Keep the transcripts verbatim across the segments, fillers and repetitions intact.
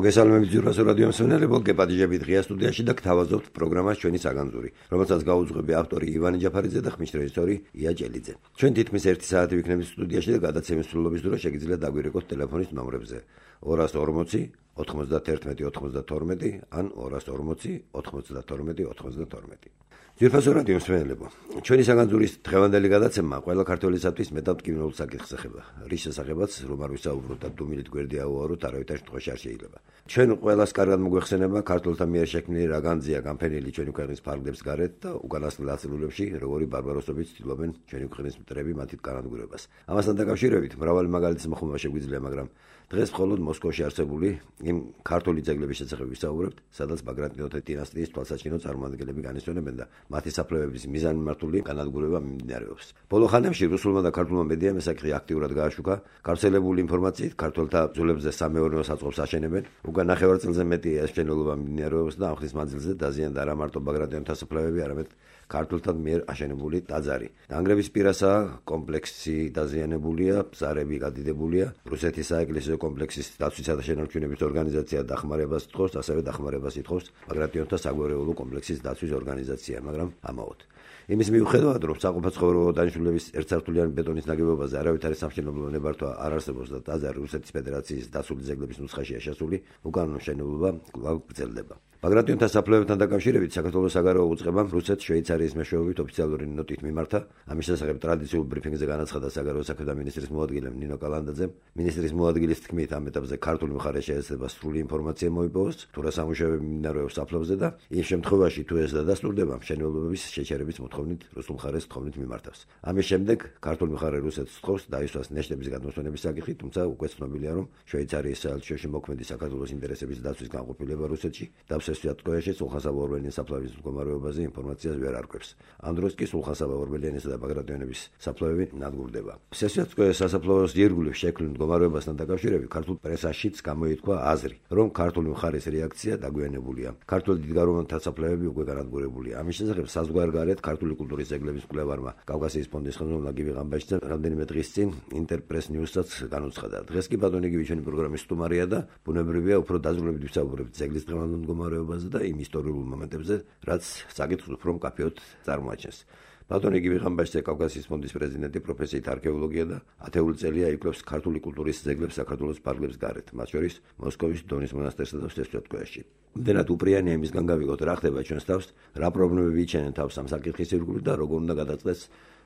მოგესალმებით ძვირფასო რადიო მსმენელებო, გეპატიჟებით ღია სტუდიაში და გთავაზობთ პროგრამას ჩვენი საგანძური, რომელსაც გაუძღვები ავტორი ივანე ჯაფარიძე და ხმის რეჟისორი ია ჭელიძე. ჩვენ თითქმის ერთი საათი ვიქნებით სტუდიაში და გადაცემის სრულობის დროს შეგიძლიათ დაგვირეკოთ ტელეფონის ნომრებზე ორას ორმოცი ოთხმოცდაერთმეტი ოცმოცდათორმეტი ან ორას ორმოცი ოთხმოცდათორმეტი ოცმოცდათორმეტი. ძვირფასო რადიო მსმენელებო, ჩვენი საგანძურის დღევანდელი გადაცემა ყველა ქართველისათვის მეტად მტკივნეულ საკითხს ეხება, რის შესახებაც რომ არ ვისაუბროთ და დუმილით გვერდი ავუაროთ, არავითარ შემთხვევაში არ შეიძლება. ჩვენ ყველას კარგად მოგვეხსენება ქართველთა მიერ შექმნილი რაგანძია გამფენილი ჩვენი ქვეყნის ფარგლებს გარეთ და უკანასკნელ ათწლეულებში როგორი ბარბაროსობით ცდილობენ ჩვენი ქვეყნის მტრები მათით განადგურებას. ამასთან დაკავშირებით მრავალი მაგალითის მოხმობა შეგვიძლია, მაგრამ დღეს მხოლოდ მოსკოვში არსებული იმ ქართული ძეგლების შესახებ ვისაუბრებთ, სადაც ბაგრატიონთა დინასტიის თვალსაჩინო წარმოადგენლები განისვენებენ და მათი საფლავების მიზანმიმართული განადგურება მიმდინარეობს. ბოლო ხანებში რუსულმა და ქართულმა მედიამ ეს საკითხი აქტიურად გააშუქა. გავრცელებული ინფორმაციით ქართველთა ბრძოლებზე სამეურნეო საწყობს აშენებენ. უკან ნახევარწელზე მეტი ეს მშენებლობა მიმდინარეობს და ამ ხნის მანძილზე დაზიანდა არა მარტო ბაგრატიონთა საფლავები, არამედ ქართულთა მიერ აშენებული ტაძარი. დანგრევის პირასაა კომპლექსი დაზიანებულია, ბზარები გადიდებულია. რუსეთის საეკლესიო კომპლექსის დაცვისა და შენარჩუნების ორგანიზაცია დახმარებას ითხოვს, ასევე დახმარებას ითხოვს ბაგრატიონთა საგვარეულო კომპლექსის დაცვის ორგანიზაცია, მაგრამ ამაოდ. იმის მიუხედავად, რომ საყოფაცხოვრებო დანიშნულების ერთსართულიანი ბეტონის ნაგებობაზე არავითარი სამშენებლო ნებართვა არ არსებობს და ტაძარი რუსეთის ფედერაციის დაცული ძეგლების ნუსხაშია შესული, უკანონო მშენებლობა კვლავ გრძელდება. ბაგრატიონთა საფლავებთან დაკავშირებით საქართველოს საგარეო უწყებამ რუსეთს შვეიცარიის მეშვეობით ოფიციალური ნოტით მიმართა. ამის შესახებ ტრადიციულ ბრიფინგზე განაცხადა საგარეო საქმეთა მინისტრის მოადგილემ ნინო კალანდაძემ. მინისტრის მოადგილის თქმით, ამ ეტაპზე ქართული მხარე შეეცდება სრული ინფორმაცია მოიპოვოს, თუ რა სამუშაოები მიმდინარეობს საფლავზე და იმ შემთხვევაში თუ ეს დადასტურდება, მშენებლობების შეჩერების მოთხოვნით რუსულ მხარეს თხოვნით მიმართავს. ამის შემდეგ ქართული მხარე რუსეთს თხოვს დაისვას ნეშტების გადმოსვენების საკითხი, თუმცა უკვე ცნობილია, რომ შვეიცარიის საელჩოში მოქმედი საქართველოს ინტერესების დაცვის განყოფილება რუსეთში სვიატკოეში სულხან-საბა ორბელიანის საფლავის მდგომარეობაზე ინფორმაციას ვერ არკვევს. ამ დროს კი სულხან-საბა ორბელიანისა და ბაგრატიონების საფლავები ნადგურდება. სესვიატკოეს სასაფლაოს ირგვლივ შექმნილ მდგომარეობასთან დაკავშირებით ქართულ პრესაშიც გამოითქვა აზრი, რომ ქართული მხარის რეაქცია დაგვიანებულია. ქართული დიდგაროვანთა საფლავები უკვე განადგურებულია. ამის შესახებ საზღვარგარეთ ქართული კულტურის ძეგლების მკვლევარმა კავკასიის ფონდის ხელმძღვანელმა გივი ღამბაჩიძემ რამდენიმე დღის წინ ინტერპრეს ნიუსსაც განუცხადა. დღეს კი ბატონი გივი ჩვენი პროგრამის სტუმარია და ბუნებრივია უფრო დაზრუნებით ვისაუბრებთ ძეგლის დღევანდელ მდგომარეობაზე და იმ ისტორიულ მომენტებზე, რაც საკითხს უფრო მკაფიოდ წარმოაჩენს. ბატონი გივი ღამბაჩიძე კავკასიის ფონდის პრეზიდენტი, პროფესიით არქეოლოგია და ათეული წელია იკვლევს ქართული კულტურის ძეგლებს საქართველოს ფარგლებს გარეთ, მათ შორის მოსკოვის დონის მონასტერსა და სესვიატკოეში. იმდენად უპრიანია იმისგან გავიგოთ, რა ხდება ჩვენს თავს, რა პრობლემები იჩენენ თავს ამ საკითხის ირგვლივ და როგორ უნდა გადაწყდეს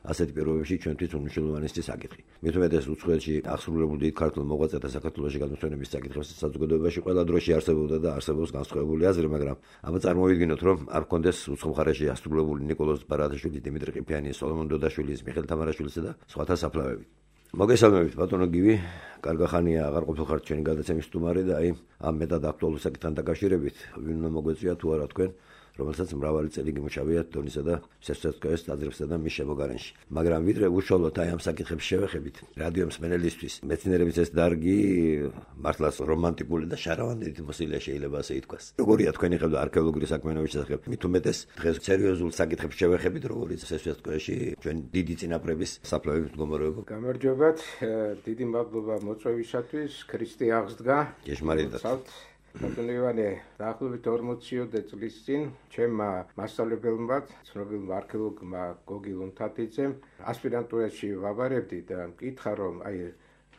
ასეთ პირობებში ჩვენთვის უმნიშვნელოვანესი საკითხი. მით უმეტეს უცხოეთში აღსრულებულ დიდ ქართულ მოღვაწეთა საქართველოში გადმოსვენების საკითხებს საზოგადოებაში ყველა დროში არსებობდა და არსებობს განსხვავებული აზრი, მაგრამ აბა წარმოვიდგინოთ, რომ არ გქონდეს უცხო მხარეში აღსრულებული ნიკოლოზ ბარათაშვილის, დიმიტრი ყიფიანის, სოლომონ დოდაშვილის, მიხეილ თამარაშვილისა და სხვათა საფლავები. მოგესალმებით ბატონო გივი, კარგი ხანია აღარ ყოფილხართ ჩვენი გადაცემის სტუმარი და აი ამ მეტად აქტუალურ საკითხთან დაკავშირებით ვინ უნდა მოგვეწვია თუ არა თქვენ, რომელსაც მრავალი წელი გიმუშავიათ დონისა და სესვიატკოეს ტაძრებსა და მის შემოგარენში. მაგრამ ვიდრე უშუალოდ აი ამ საკითხებს შევეხებით, რადიო მსმენელისთვის მეცნიერების ეს დარგი მართლაც რომანტიკული და შარავანით მოსილია, შეიძლება ასე ითქვას. როგორია თქვენი ხედვა არქეოლოგიური საქმიანობის შესახებ? მით უმეტეს დღეს სერიოზულ საკითხებს შევეხებით, როგორც სესვიატკოეში ჩვენ დიდი წინაპრების საფლავების მდგომარეობა. გამარჯობათ, დიდი მადლობა მოწვევისათვის, ქრისტე აღსდგა. ჭეშმარიტად. ბატონო ივანე, დაახლოებით ორმოციოდე წლის წინ ჩემმა მასწავლებელმა, ცნობილმა არქეოლოგმა გოგი ლუნთათიძემ ასპირანტურაში ვაბარებდი და მკითხა, რომ აი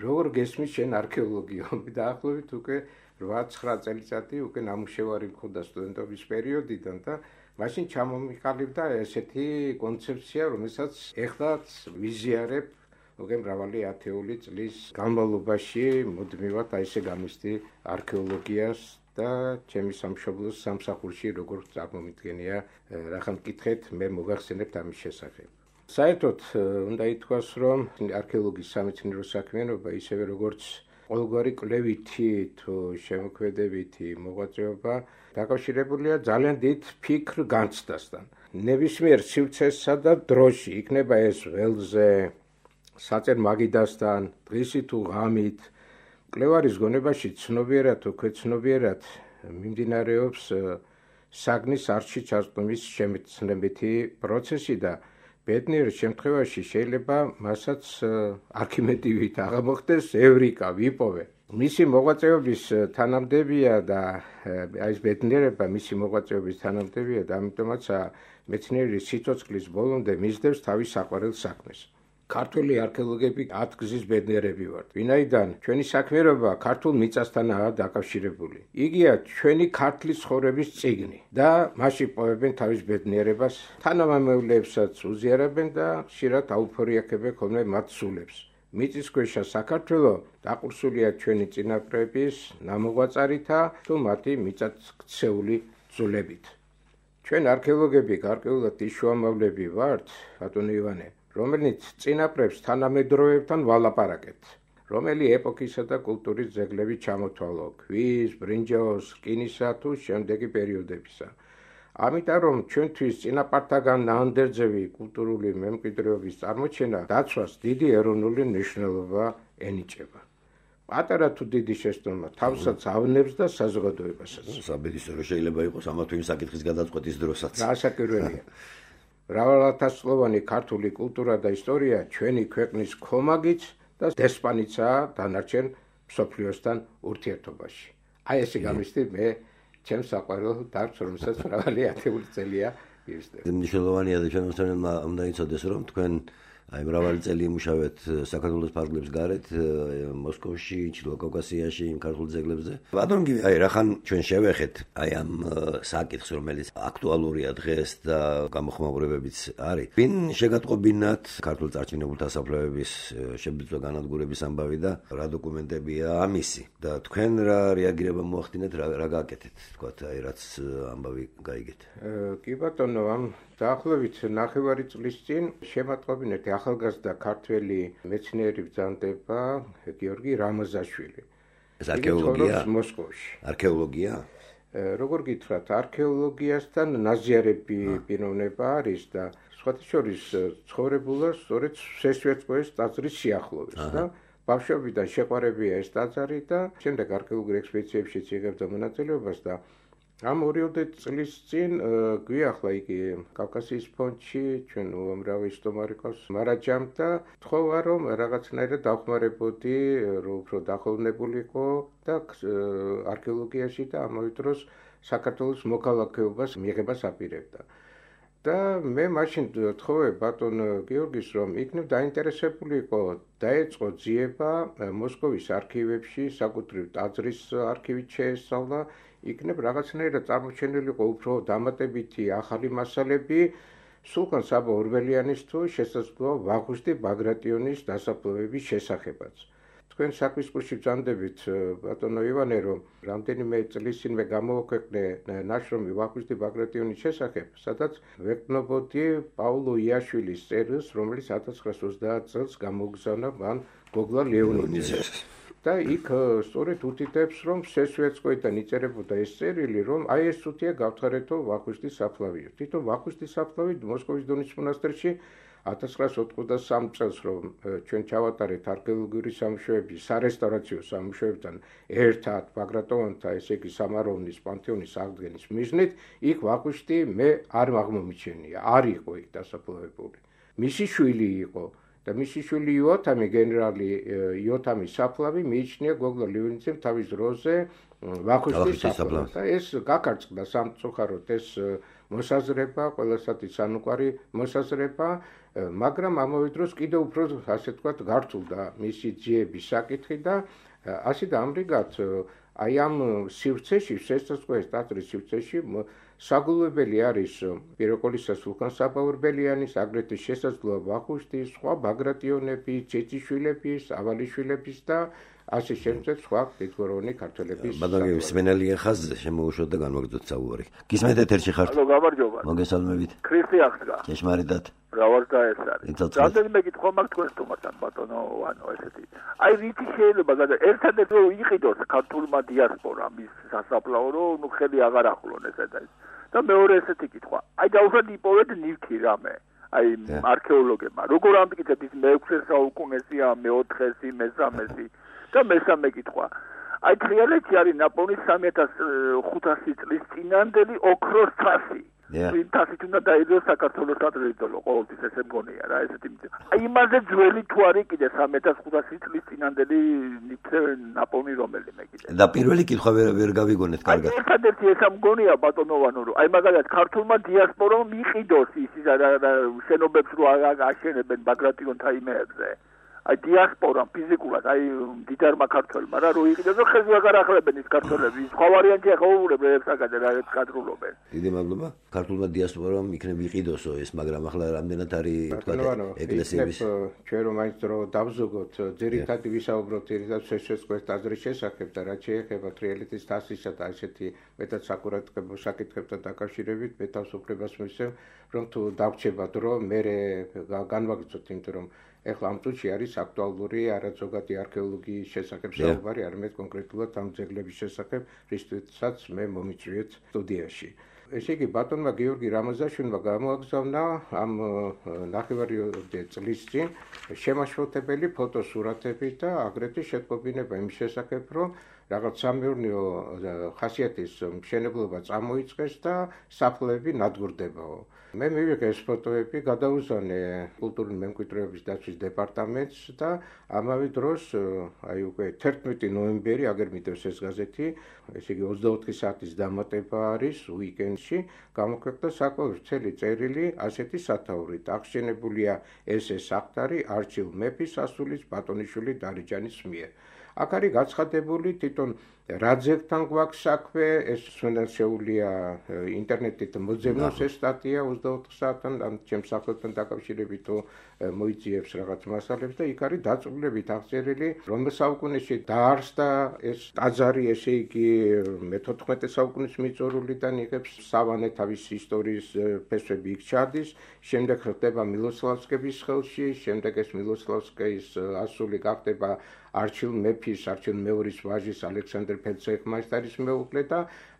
როგორ გესმის შენ არქეოლოგია? დაახლოებით უკვე რვა ცხრა წელიწადი უკვე ნამუშევარი მქონდა სტუდენტობის პერიოდიდან და მაშინ ჩამომიყალიბდა ესეთი კონცეფცია, რომელსაც ეხლაც ვიზიარებ უკვე მრავალი ათეული წლის განმავლობაში მუდმივად აი ესე გამისდი არქეოლოგიას და ჩემი სამშობლოს სამსახურში როგორ წარმომიდგენია, რახან მკითხეთ, მე მოგახსენებთ ამის შესახებ. საერთოდ უნდა ითქვას, რომ არქეოლოგიის სამეცნიერო საქმიანობა ისევე როგორც ყოველგვარი კვლევითი თუ შემოქმედებითი მოღვაწეობა დაკავშირებულია ძალიან დიდ ფიქრ-განცდასთან. ნებისმიერ სივრცესსა და დროში, იქნება ეს ველზე, საწერ მაგიდასთან, დღისი თუ ღამით, მკვლევარის გონებაში ცნობიერად თუ ქვეცნობიერად მიმდინარეობს საგნის არჩი ჩარწმის შემეცნებითი პროცესი და ბედნიერ შემთხვევაში შეიძლება მასაც არქიმედივით აღამოხდეს ევრიკა ვიპოვე. მისი მოღვაწეობის თანამდებია და აი ეს ბედნიერება მისი მოღვაწეობის თანამდებია და ამიტომაც მეცნიერი სიცოცხლის ბოლომდე მისდევს თავის საყვარელ საქმეს. ქართული არქეოლოგები ათგზის ბედნიერები ვართ, ვინაიდან ჩვენი საქმიანობა ქართულ მიწასთანაა დაკავშირებული. იგია ჩვენი ქართლის ცხოვრების წიგნი და მასში პოვებენ თავის ბედნიერებას, თანამემამულეებსაც უზიარებენ და ხშირად აუფორიაქებენ ხოლმე მათ სულებს. მიწისქვეშა საქართველო დაყურსულია ჩვენი წინაპრების ნამოღვაწარითა თუ მათი მიწათქცეული ძვლებით. ჩვენ არქეოლოგები გარკვეულად ის შუამავლები ვართ, ბატონო ივანე, რომელიც წინაპრებს თანამედროვეებთან ვალაპარაკებთ, რომელი ეპოქისა და კულტურის ძეგლები ჩამოთვალო, ქვის, ბრინჯაოს, რკინისა თუ შემდეგი პერიოდებისა. ამიტომ რომ ჩვენთვის წინაპართაგან ნაანდერძევი კულტურული მემკვიდრეობის წარმოჩენა დაცვას დიდი ეროვნული მნიშვნელობა ენიჭება. პატარა თუ დიდი შეცდომა თავსაც ავნებს და საზოგადოებასაც. საბედისწერო შეიძლება იყოს ამა თუ იმ საკითხის გადაწყვეტის დროსაც. გასაკვირველია. მრავალათასწლოვანი ქართული კულტურა და ისტორია ჩვენი ქვეყნის ქომაგიც და დესპანიცაა დანარჩენ მსოფლიოსთან ურთიერთობაში. აი ესე გამისდი მე ჩემს საყვარელ დარგს, რომელსაც მრავალი ათეული წელია მივსდევ. მნიშვნელოვანია და ჩვენმა უნდა იცოდეს, რომ თქვენ აი მრავალი წელი იმუშავეთ საქართველოს ფარგლებს გარეთ, მოსკოვში, ჩრდილო კავკასიაში, იმ ქართულ ძეგლებზე. ბატონო, აი რახან ჩვენ შევეხეთ აი ამ საკითხს, რომელიც აქტუალურია დღეს და გამოხმაურებებიც არის. ვინ შეგატყობინათ ქართულ წარჩინებულთა საფლავების შებრძვა განადგურების ამბავი და რა დოკუმენტებია ამისი და თქვენ რა რეაგირება მოახდინეთ, რა გააკეთეთ, თქვათ, აი რაც ამბავი გაიგეთ. კი ბატონო, ამ დაახლოებით ნახევარი წლის წინ შემატყობინეთ ახალგაზრდა ქართველი მეცნიერი ბრძანდება გიორგი რამაზაშვილი. ეს არქეოლოგია? მოსკოვში. არქეოლოგია? როგორ გითხრათ, არქეოლოგიასთან ნაზიარები პიროვნება არის და სხვათა შორის ცხოვრებულა სწორედ სესვეტსკოეს ტაძრის სიახლოვეს და ბავშვობიდან შეყვარებია ეს ტაძარი და შემდეგ არქეოლოგიურ ექსპედიციებშიც იღებდა მონაწილეობას და ამ ორიოდე წლის წინ გვიახლა იგი კავკასიის ფონდში ჩვენ უამრავი სტომარი ყავს მარაჯამ და თხოვა რომ რაღაცნაირად დავხმარებოდი რომ უფრო დახოვნებულიყო და არქეოლოგიაში და ამავე დროს საქართველოს მოქალაქეობას მიიღებას აპირებდა. და მე მაშინ თხოვე ბატონ გიორგის რომ იქნებ დაინტერესებული იყო დაეწყო ძიება მოსკოვის არქივებში, საკუთრივ ტაძრის არქივით შეესწავლა, იქნებ რაღაცნაირად წარმოჩენილიყო უფრო დამატებითი ახალი მასალები სულხან საბა ორბელიანის თუ შესაძლოა ვახუშტი ბაგრატიონის დასაფლავების შესახებაც. თქვენ საქმის კურსში ბრძანდებით ბატონო ივანე რომ რამდენიმე წლის წინ მე გამოვაქვეყნე ნაშრომი ვახუშტი ბაგრატიონის შესახებ, სადაც ვეკნობოდი პაულო იაშვილის წერილს, რომელიც ათას ცხრაას ოცდაათ წელს გამოგზავნა მან გოგლა ლეონიძე. და იქ სწორედ უთითებს რომ სესვეტსკოიდან იწერებოდა ეს წერილი რომ აი ეს თუთია გავთხარეთო ვახუშტის საფლავიო. თვითონ ვახუშტის საფლავი მოსკოვის დონის მონასტერში ათას ცხრაას ოცდასამ წელს რომ ჩვენ ჩავატარეთ არქეოლოგიური სამუშაოები სარესტავრაციო სამუშაოებთან ერთად ბაგრატონთა ესე იგი სამაროვნის პანთეონის აღდგენის მიზნით იქ ვახუშტი მე არ აღმომიჩენია, არ იყო იქ დასაფლავებული. მისი შვილი იყო და მისი შვილი იოთამი გენერალი იოთამის საფლავი მიიჩნია გოგლა ლეონიძემ თავის დროზე ვახუშტის საფლავს და ეს გაკარწყდა სამწუხაროდ ეს მოსაზრება, ყველასათვის ანუკვარი მოსაზრება, მაგრამ ამავე დროს კიდევ უფრო ასე ვთქვათ გართულდა მისი ძიების საკითხი და ასე და ამრიგად აი ამ სივრცეში, შესაძლოა ტაძრის სივრცეში საგულვებელი არის პიროკოლისა სულხან საბა ორბელიანის, აგრეთვე შესაძლოა ვახუშტის, სხვა ბაგრატიონების, ცეციშვილების, ავალიშვილების და ასე შემდეგ სხვა დიდგვაროვანი ქართველების. ბატონო სმენელია ხაზზე შემოუშვოთ და განვაგრძოთ საუბარი. გისმენთ ეთერში ხართ? ალო, გამარჯობა. მოგესალმებით. ქრისტე აღდგა. ჭეშმარიტად. რავარდა ეს არის. რამდენიმე კითხვა მაქვს თქვენ თუმცა ბატონო, ანუ ესეთი. აი რითი შეიძლება გადა ერთადერთი რომ იყიდოს ქართულმა დიასპორამ ის სასაფლაო რომ ნუ ხელი აღარ ახლონ ესა და ეს. და მეორე ესეთი კითხვა. აი დაუშვათ იპოვეთ ნივთი რამე. აი არქეოლოგებმა. როგორ ამტკიცეთ ის მეექვსე საუკუნესია, მეოთხესი, მესამესი და მესამე კითხვა. აი თრიალეთში არის ნაპოვნი სამი ათას ხუთასი წლის წინანდელი ოქროს თასი. ვინ თასით უნდა დაიდოს საქართველოს სატრიუმფო ყოველთვის ესე მგონია რა ესეთი აი იმაზე ძველი თუ არის კიდე სამი ათას ხუთასი წლის წინანდელი ნიჩე ნაპოვნი რომელიმე კიდე და პირველი კითხვა ვერ ვერ გავიგონეთ კარგად ერთადერთი ესა მგონია ბატონოვანო რომ აი მაგალითად ქართულმა დიასპორამ მიყიდოს ის შენობებს რო აშენებენ ბაგრატიონთა იმეებზე აი დიასპორამ ფიზიკურად აი დიდარმა ქართველმა რა რო იყიდოს რომ ხეზე აღარ ახლებენ ის ქართველები სხვა ვარიანტი ახაურებენ ეფსაგადე რა ეს კადრულობენ დიდი მადლობა ქართულმა დიასპორამ იქნებ იყიდოსო ეს მაგრამ ახლა რამდენად არის თქვა ეკლესიების ჩვენ რომ მაინც რო დავზოგოთ ძირითადად ვისაუბროთ ძირითადად შეშეწყვეტ აზრის შესახებ და რაც შეეხება თრიალეთის თასისა და ასეთი მეტად საკურატებო საკითხებთან დაკავშირებით მე თავისუფლებას მისცემ რომ თუ დავრჩება დრო მე განვაგრძოთ იმიტომ რომ ეხლა ამ წუთში არის აქტუალური არაძოგადი არქეოლოგიის შესახებ საუბარი, არამედ კონკრეტულად ამ ძეგლების შესახებ, რისთვისაც მე მომიწვიეთ სტუდიაში. ესე იგი, ბატონმა გიორგი რამაზაშვილმა გამოაგზავნა ამ ნახევარიოდე წლის წინ შემაშფოთებელი ფოტოსურათები და აგრეთვე შეტყობინება იმ შესახებ, რომ რაღაც სამეურნეო ხასიათის მშენებლობა წამოიწყეს და საფლავები ნადგურდებაო. მე მივიღე ეს ფოტოები, გადავუზანე კულტურული მემკვიდრეობის დაცვის დეპარტამენტს და ამავე დროს აი უკვე თერთმეტი ნოემბერი, აგერ მიდევს ეს გაზეთი, ესე იგი ოცდაოთხი საათის დამატება არის უიკენდში, გამოქვეყნდა საკმაოდ ვრცელი წერილი ასეთი სათაურით. აღშენებულია ეს ეს საყდარი არჩილ მეფის სასულის ბატონიშვილი დარეჯანის მიერ. აქ არის გაცხადებული თვითონ რა ძეგლთან გვაქვს საქმე, ეს შეუძლია ინტერნეტით მოძებნოს ეს სტატია ოცდაოთხ საათთან ამ ჩემს სახელთან დაკავშირებით თუ მოიძიებს რაღაც მასალებს და იქ არის დაწვრილებით აღწერილი რომ საუკუნეში დაარსდა ეს ტაძარი, ესე იგი მეთოთხმეტე საუკუნის მიწურულიდან იღებს სავანე თავის ისტორიის ფესვები იქ ჩადის, შემდეგ ხდება მილოსლავსკების ხელში, შემდეგ ეს მილოსლავსკის ასული გახდება არჩილ მეფის, არჩილ მეორის ვაჟის ალექსანდრე ფელცეხმაისტარის მეუღლე და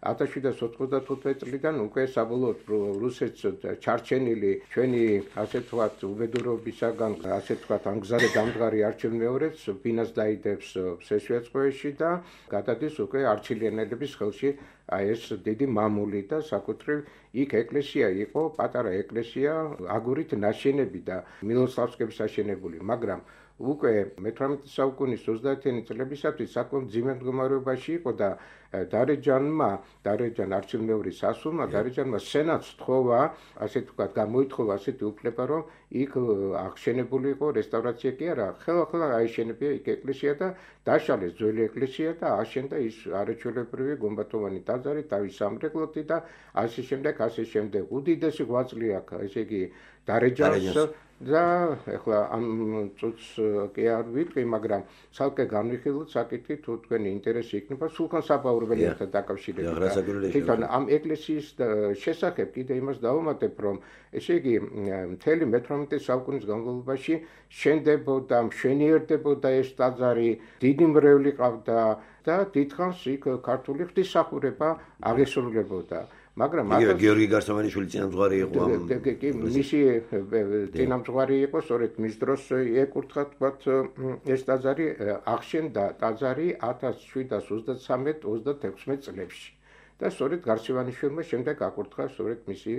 ათას შვიდსათ ოცდათხუთმეტი წლიდან უკვე საბოლოოდ რუსეთს ჩარჩენილი ჩვენი ასე თქვათ უბედურობისაგან ასე თქვათ ამგზარე დამდგარი არჩილ მეორეც ბინას დაიდებს სესვიაწყოეში და გადადის უკვე არჩილიანელების ხელში აი ეს დიდი მამული და საკუთრივ იქ ეკლესია იყო, პატარა ეკლესია, აგურით ნაშენები და მილოსლავსკების აშენებული, მაგრამ უკვე მეთვრამეტე საუკუნის ოცდაათიანი წლებისათვის საკმაოდ მძიმე მდგომარეობაში იყო და დარეჯანმა, დარეჯან არჩილ მეორის სასულმა, დარეჯანმა სენატს თხოვა, ასე თქვათ, გამოითხოვა ასეთი უფლება, რომ იქ აღშენებული იყო რესტავრაცია კი არა, ხელახლა აიშენებია იქ ეკლესია და დაშალეს ძველი ეკლესია და აშენდა ის არაჩვეულებრივი გუმბათოვანი ტაძარი თავის სამრეკლოთი და ასე შემდეგ, ასე შემდეგ. უდიდესი ღვაწლი აქვს, ესე იგი დარეჯანს და ეხლა ამ წუთს კი არ ვიტყვი, მაგრამ ცალკე განვიხილოთ საკითხი თუ თქვენი ინტერესი იქნება სულხან საბაურველიასთან დაკავშირებით. თვითონ ამ ეკლესიის შესახებ კიდე იმას დავუმატებ, რომ ესე იგი მთელი მეთვრამეტე საუკუნის განმავლობაში შენდებოდა, მშვენიერდებოდა ეს ტაძარი, დიდი მრევლი ყავდა და დიდხანს იქ ქართული ღვთისმსახურება აღესრულებოდა. მაგრამ გიორგი გარსამანიშვილი წინამძღვარი იყო ამ კი მისი წინამძღვარი იყო, სწორედ მის დროს ეკურთხა თქვათ ეს ტაძარი აღშენდა ტაძარი ათას შვიდსათ ოცდათრამეტ ოცდათექვსმეტ წლებში. და სწორედ გარსევანიშვილმა შემდეგ აკურთხა სწორედ მისი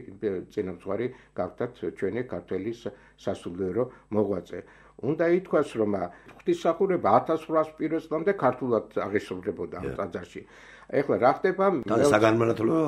წინამძღვარი გახდათ ჩვენი ქართველი სასულიერო მოღვაწე. უნდა ითქვას, რომ ღვთისმსახურება ათას რვაას პირველ წლამდე ქართულად აღესრულებოდა ამ ტაძარში. ეხლა რა ხდება? საგანმანათლებლო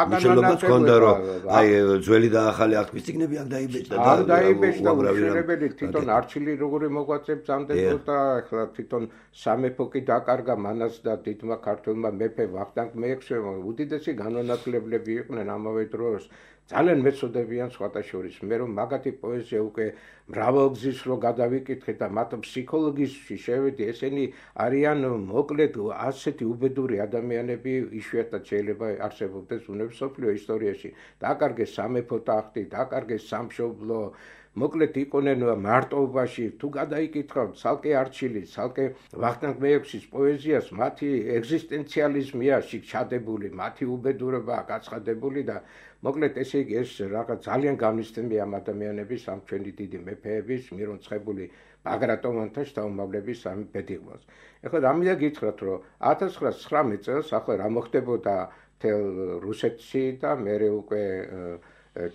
მნიშვნელობაც ჰქონდა, რომ აი ძველი და ახალი აღქმის წიგნები არ დაიბეჭდა და არ დაიბეჭდა უშენებელი თვითონ არჩილი როგორი მოღვაწე ბრძანდებოდა, ეხლა თვითონ სამეფო კი დაკარგა მანაც და დიდმა ქართველმა მეფე ვახტანგ მეექვსემ უდიდესი განმანათლებლები იყვნენ ამავე დროს. ძალიან მეწოდებიან სხვათა შორის. მე რომ მაგათი პოეზია უკვე მრავალგზის რო გადავიკითხე და მათ ფსიქოლოგიაში შევედი, ესენი არიან მოკლედ ასეთი უბედური ადამიანები, იშვიათად შეიძლება არსებობდეს უნივერსოფლიო ისტორიაში. დაკარგეს სამეფო ტახტი, დაკარგეს სამშობლო, მოკლედ იყვნენ მარტოობაში. თუ გადაიკითხავთ ცალკე არჩილი, ცალკე ვახტანგ მეექვსის პოეზიას, მათი ეგზისტენციალიზმია ჩადებული, მათი უბედურება გაცხადებული და მოკლედ ესე იგი ეს რაღაც ძალიან განვისწრებია ამ ადამიანების, ამ ჩვენი დიდი მეფეების, მირონცხებული ბაგრატონთა შთამომავლების ამ ბედიღმას. ეხლა რამედა გითხრათ, რომ ათას ცხრაასი ცხრამეტ წელს ახლა რა მოხდებოდა მთელ რუსეთში და მერე უკვე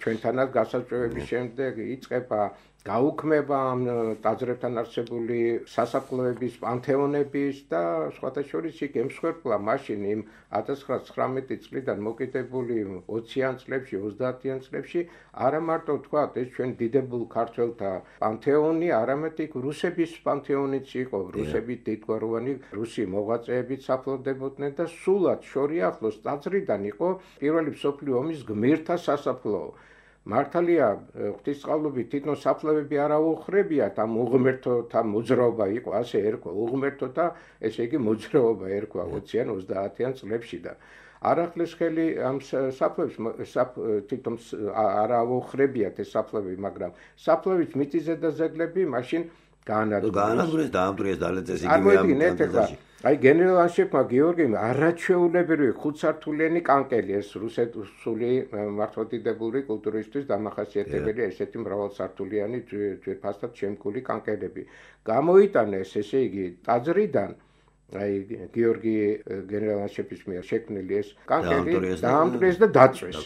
ჩვენთანაც გასაწვევების შემდეგ იწყება გაუქმება ამ ტაძრებთან არსებული სასაფლაოების პანთეონების და სხვათა შორის იქ ემსხვერპლა მაშინ იმ ათას ცხრაასი ცხრამეტი წლიდან მოკიდებული ოციან წლებში ოცდაათიან წლებში არა მარტო თქვა ეს ჩვენ დიდებულ ქართველთა პანთეონი, არამედ იქ რუსების პანთეონიც იყო, რუსები დიდგვაროვანი რუსი მოღვაწეებით საფლავდებოდნენ და სულად შორიახლოს ტაძრიდან იყო პირველი მსოფლიო ომის გმირთა სასაფლაო. მართალია ღვთისწყალობით თვითონ საფლავები არ აუხრებიათ ამ უღმერთოთა მოძრაობა იყო ასე ერქვა უღმერთოთა ესე იგი მოძრაობა ერქვა ოციან ოცდაათიან წლებში და არ ახლეს ხელი ამ საფლავებს თვითონ არ აუხრებიათ ეს საფლავები მაგრამ საფლავის მიწიზე და ზეგლები მაშინ გაანადგურეს დაამტვრიეს დალეწეს იგივე ამ ტანტაზაში აი გენერალ ანშეფმა გიორგიმ არაჩვეულებრივი ხუთსართულიანი კანკელი ეს რუსული მართლმადიდებლური კულტურისთვის დამახასიათებელი ესეთი მრავალსართულიანი ძვირფასად შემკული კანკელები გამოიტანეს ესე იგი ტაძრიდან აი გიორგი გენერალ ანშეფის მიერ შექმნილი ეს კანკელი დაამტვრიეს და დაწვეს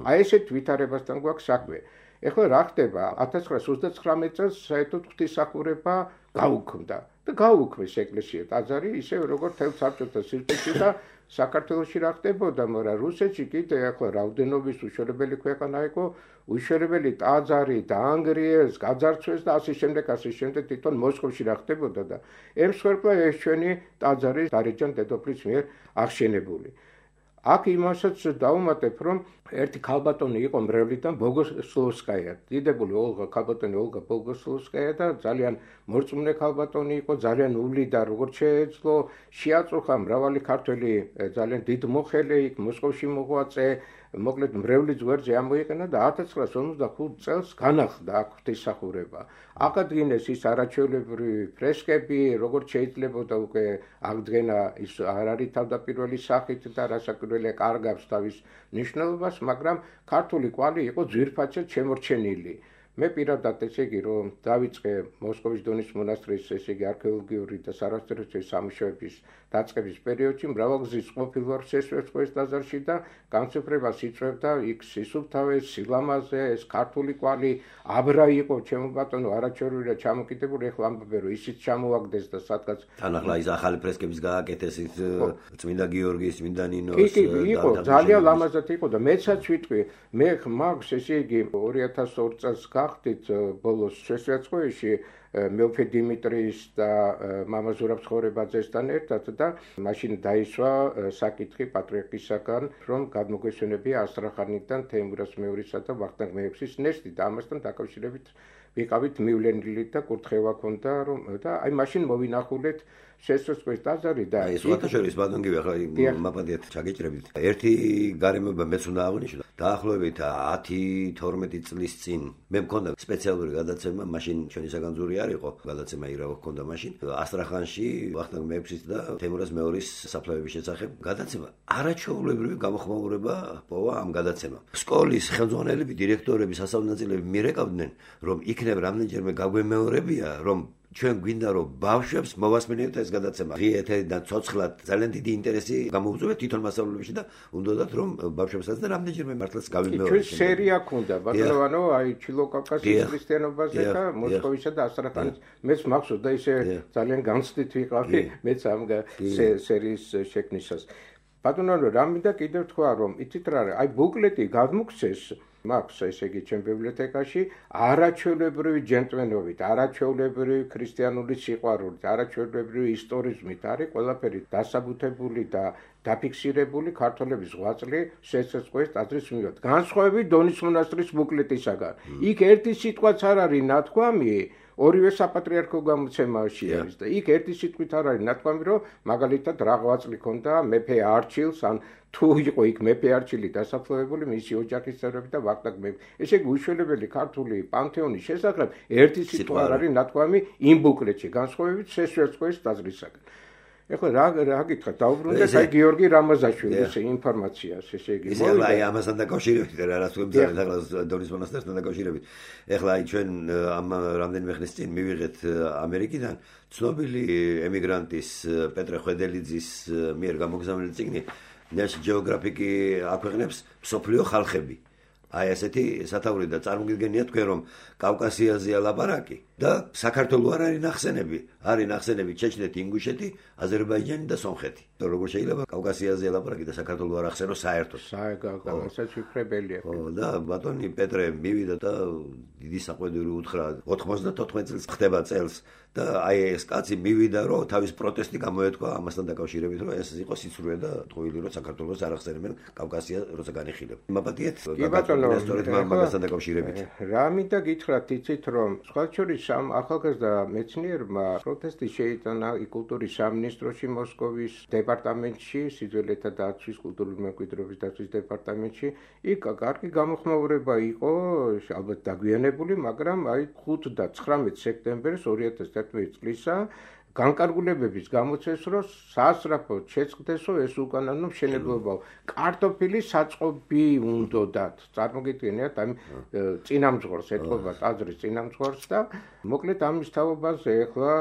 აი ესეთ ვითარებასთან გვაქვს საქმე ეხლა რა ხდება ათას ცხრაასი ოცდაცხრამეტი წელს საერთოდ ღვთისმსახურება გაუქმდა და გაუქმეს ეკლესია ტაძარი ისე როგორც თელ საბჭოთა სივრცეში და საქართველოში რა ხდებოდა მაგრამ რუსეთში კიდე ეხლა რაოდენობის უშორებელი ქვეყანა იყო უშორებელი ტაძარი დაანგრიეს გაძარცვეს და ასე შემდეგ ასე შემდეგ თვითონ მოსკოვში რა ხდებოდა და ემსხვერპლა ეს ჩვენი ტაძარი დარეჯან დედოფლის მიერ აღშენებული აქ იმასაც დაუმატებ რომ ერთი ქალბატონი იყო მრევლიდან ბოგოსლოვსკაია დიდებული ოლღა ქალბატონი ოლგა ბოგოსლოვსკაია და ძალიან მორწმუნე ქალბატონი იყო ძალიან ული და როგორც შეეძლო შეაწუხა მრავალი ქართველი ძალიან დიდ მოხელე იქ მოსკოვში მოღვაწე მოკლედ მრევლის გვერდზე ამოიყენა და ათას ცხრაასი ორმოცდახუთი წელს განახლდა აქ ღვთისმსახურება აკადგინეს ის არაჩვეულებრივი ფრესკები როგორც შეიძლებოდა უკვე აღდგენა ის არ არის თავდაპირველი სახით და რასაკვირველია კარგავს თავის ნიშნულობას მაგრამ ქართული კვალი იყო ძვირფასად შემორჩენილი მე პირადად ესე იგი რომ დავიწყე მოსკოვის დონის მონასტრის ესე იგი არქეოლოგიური და სარასტრო სამუშაოების დაწყების პერიოდში მრავალგზის ყოფილ ვარ სესვერწყოს ტაძარში და განსაკუთრებას იწვევდა იქ სისუფთავეს სილამაზე ეს ქართული კვალი აბრა იყო ჩემო ბატონო არაჩვეულებრივია ჩამოკიდებული ეხლა ამბობენ რომ ისიც ჩამოაგდეს და სადღაც თან ახლა ის ახალი ფრესკების გააკეთეს ის წმინდა გიორგის წმინდა ნინოს კი კი იყო ძალიან ლამაზად იყო და მეცაც ვიტყვი მე მაქვს ესე იგი ორი ათას ორ წელს გახდით ბოლოს სესვერწყოში მეუფე დიმიტრის და მამა ზურაბ ცხოვრებაძესთან ერთად და მაშინ დაისვა საკითხი პატრიარქისაგან რომ გადმოგვესვენებია ასტრახანიდან თეიმურაზ მეორისა და ვახტანგ მეექვსის ნეშტი და ამასთან დაკავშირებით ვიყავით მივლენილი და კურთხევა ქონდა რომ და აი მაშინ მოვინახულეთ სესვერწყოს ტაძარი და აი სხვათა შორის ბატონგი ახლა მაპატიეთ ჩაგეჭრებით ერთი გარემოება მეც უნდა აღნიშნო დაახლოებით ათი თორმეტი წლის წინ მე მქონდა სპეციალური გადაცემა მაშინ ჩვენი საგანძური არ იყო გადაცემა ირავა ჰქონდა მაშინ ასტრახანში ვახტანგ მეექვსის და თემურაზ მეორის საფლავების შესახებ გადაცემა არაჩვეულებრივი გამოხმაურება პოვა ამ გადაცემამ სკოლის ხელმძღვანელები დირექტორები სასწავლებლები მირეკავდნენ რომ იქნებ რამდენჯერმე გაგვემეორებია რომ ჩვენ გვინდა რომ ბავშვებს მოვასმინოთ ეს გადაცემა ღიეთ და ცოცხლად ძალიან დიდი ინტერესი გამოუწვევთ თვითონ მასწავლებლებში და უნდათ რომ ბავშვებსაც და რამდენჯერმე მართლაც გავიმეორებთ ჩვენ სერია ქონდა ბატონო აი ჩილოკავკასიის ქრისტიანობაზე და მოსკოვისა და ასტრახანის მეც მახსოვს და ისე ძალიან განცდით ვიყავი მეც ამ სერიის შექმნისას ბატონო რა მინდა კიდევ თქვა რომ იცით რა აი ბუკლეტი გადმოგცეს მაქვს ესე იგი ჩემ ბიბლიოთეკაში არაჩვეულებრივი ჯენტლმენობით, არაჩვეულებრივი ქრისტიანული სიყვარულით, არაჩვეულებრივი ისტორიზმით არის ყველაფერი დასაბუთებული და დაფიქსირებული ქართველების ღვაწლი სესვერწყოს ტაძრის მიმართ. განსხვავებით დონის მონასტრის ბუკლეტისაგან. იქ ერთი სიტყვაც არ არის ნათქვამი ორივე საპატრიარქო გამოცემაში არის და იქ ერთი სიტყვით არ არის ნათქვამი რომ მაგალითად რა ღვაწლი ქონდა მეფე არჩილს ან თუ იყო იქ მეფე არჩილი დასაფლავებული მისი ოჯახის წევრები და ვახტანგ მეფე. ესე იგი უშველებელი ქართული პანთეონის შესახებ ერთი სიტყვა არ არის ნათქვამი იმ ბუკლეტში განსხვავებით სესვერწყოს ტაძრისაგან. ეხლა რა რა გითხრათ დაუბრუნდეთ აი გიორგი რამაზაშვილის ინფორმაციას ესე იგი მოვიდა აი ამასთან დაკავშირებით რა რას ვებძალეთ ახლა დონის მონასტერთან დაკავშირებით ეხლა აი ჩვენ ამ რამდენიმე ხნის წინ მივიღეთ ამერიკიდან ცნობილი ემიგრანტის პეტრე ხვედელიძის მიერ გამოგზავნილი წიგნი National Geographic აქვეყნებს მსოფლიო ხალხები აი ესეთი სათაური და წარმოგიდგენია თქვენ რომ კავკასიაზეა ლაპარაკი და საქართველოს არ არის ნახსენები, არის ნახსენები ჩეჩნეთი, ინგუშეთი, აზერბაიჯანი და სომხეთი. როგორ შეიძლება კავკასიაზეა ლაპარაკი და საქართველოს არ ახსენოს საერთოდ? საერთოდ შესაძლებელია. ხო და ბატონი პეტრე მივიდა და დიდი საყვედური უთხრა ოთხმოცდათოთხმეტ წელს ხდება წელს და აი ეს კაცი მივიდა რომ თავის პროტესტი გამოეთქვა ამასთან დაკავშირებით რომ ეს იყო სიცრუე და ტყუილი რომ საქართველოს არ ახსენებენ კავკასია როცა განიხილება. მაპატიეთ სწორედ მაგასთან დაკავშირებით. რა მინდა გითხრათ იცით რომ სხვა შორის ამ ახალგაზრდა მეცნიერმა პროტესტი შეიტანა კულტურის სამინისტროში მოსკოვის დეპარტამენტში, სიძველეთა დაცვის კულტურული მემკვიდრეობის დაცვის დეპარტამენტში. იქ კარგი გამოხმაურება იყო, ალბათ დაგვიანებული, მაგრამ აი ხუთი და ცხრამეტ სექტემბერს ორი ათას თერთმეტი წლისა განკარგულებების გამოცეს რომ სასწრაფოდ შეწყდესო ეს უკანონო მშენებლობა. კარტოფილი საწყობი უნდათ. წარმოგიდგენიათ ამ წინამძღვრს ეთყობა ტაძრის წინამძღვრს და მოკლედ ამის თავობაზე ახლა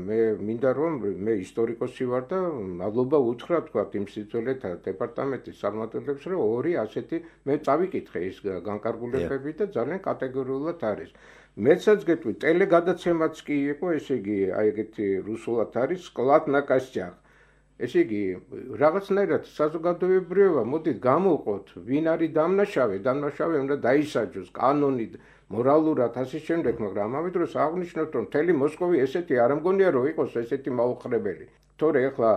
მე მინდა რომ მე ისტორიკოსი ვარ და მადლობა უთხრა თქვა იმ სიძველეთა დეპარტამენტის წარმომადგენლებს რომ ორი ასეთი მე წავიკითხე ის განკარგულებები და ძალიან კატეგორიულად არის. მეცაც გეტყვი ტელეგადაცემაც კი იყო, ესე იგი, აი ეგეთი რუსულად არის სკლად ნაკასჭახ. ესე იგი, რაღაცნაირად საზოგადოებრივება მოდით გამოვყოთ, ვინ არის დამნაშავე, დამნაშავე უნდა დაისაჯოს კანონით, მორალურად ასე შემდეგ, მაგრამ ამავე დროს აღნიშნოთ, რომ მთელი მოსკოვი ესეთი არ მგონია რომ იყოს ესეთი მაუხრებელი. თორე ახლა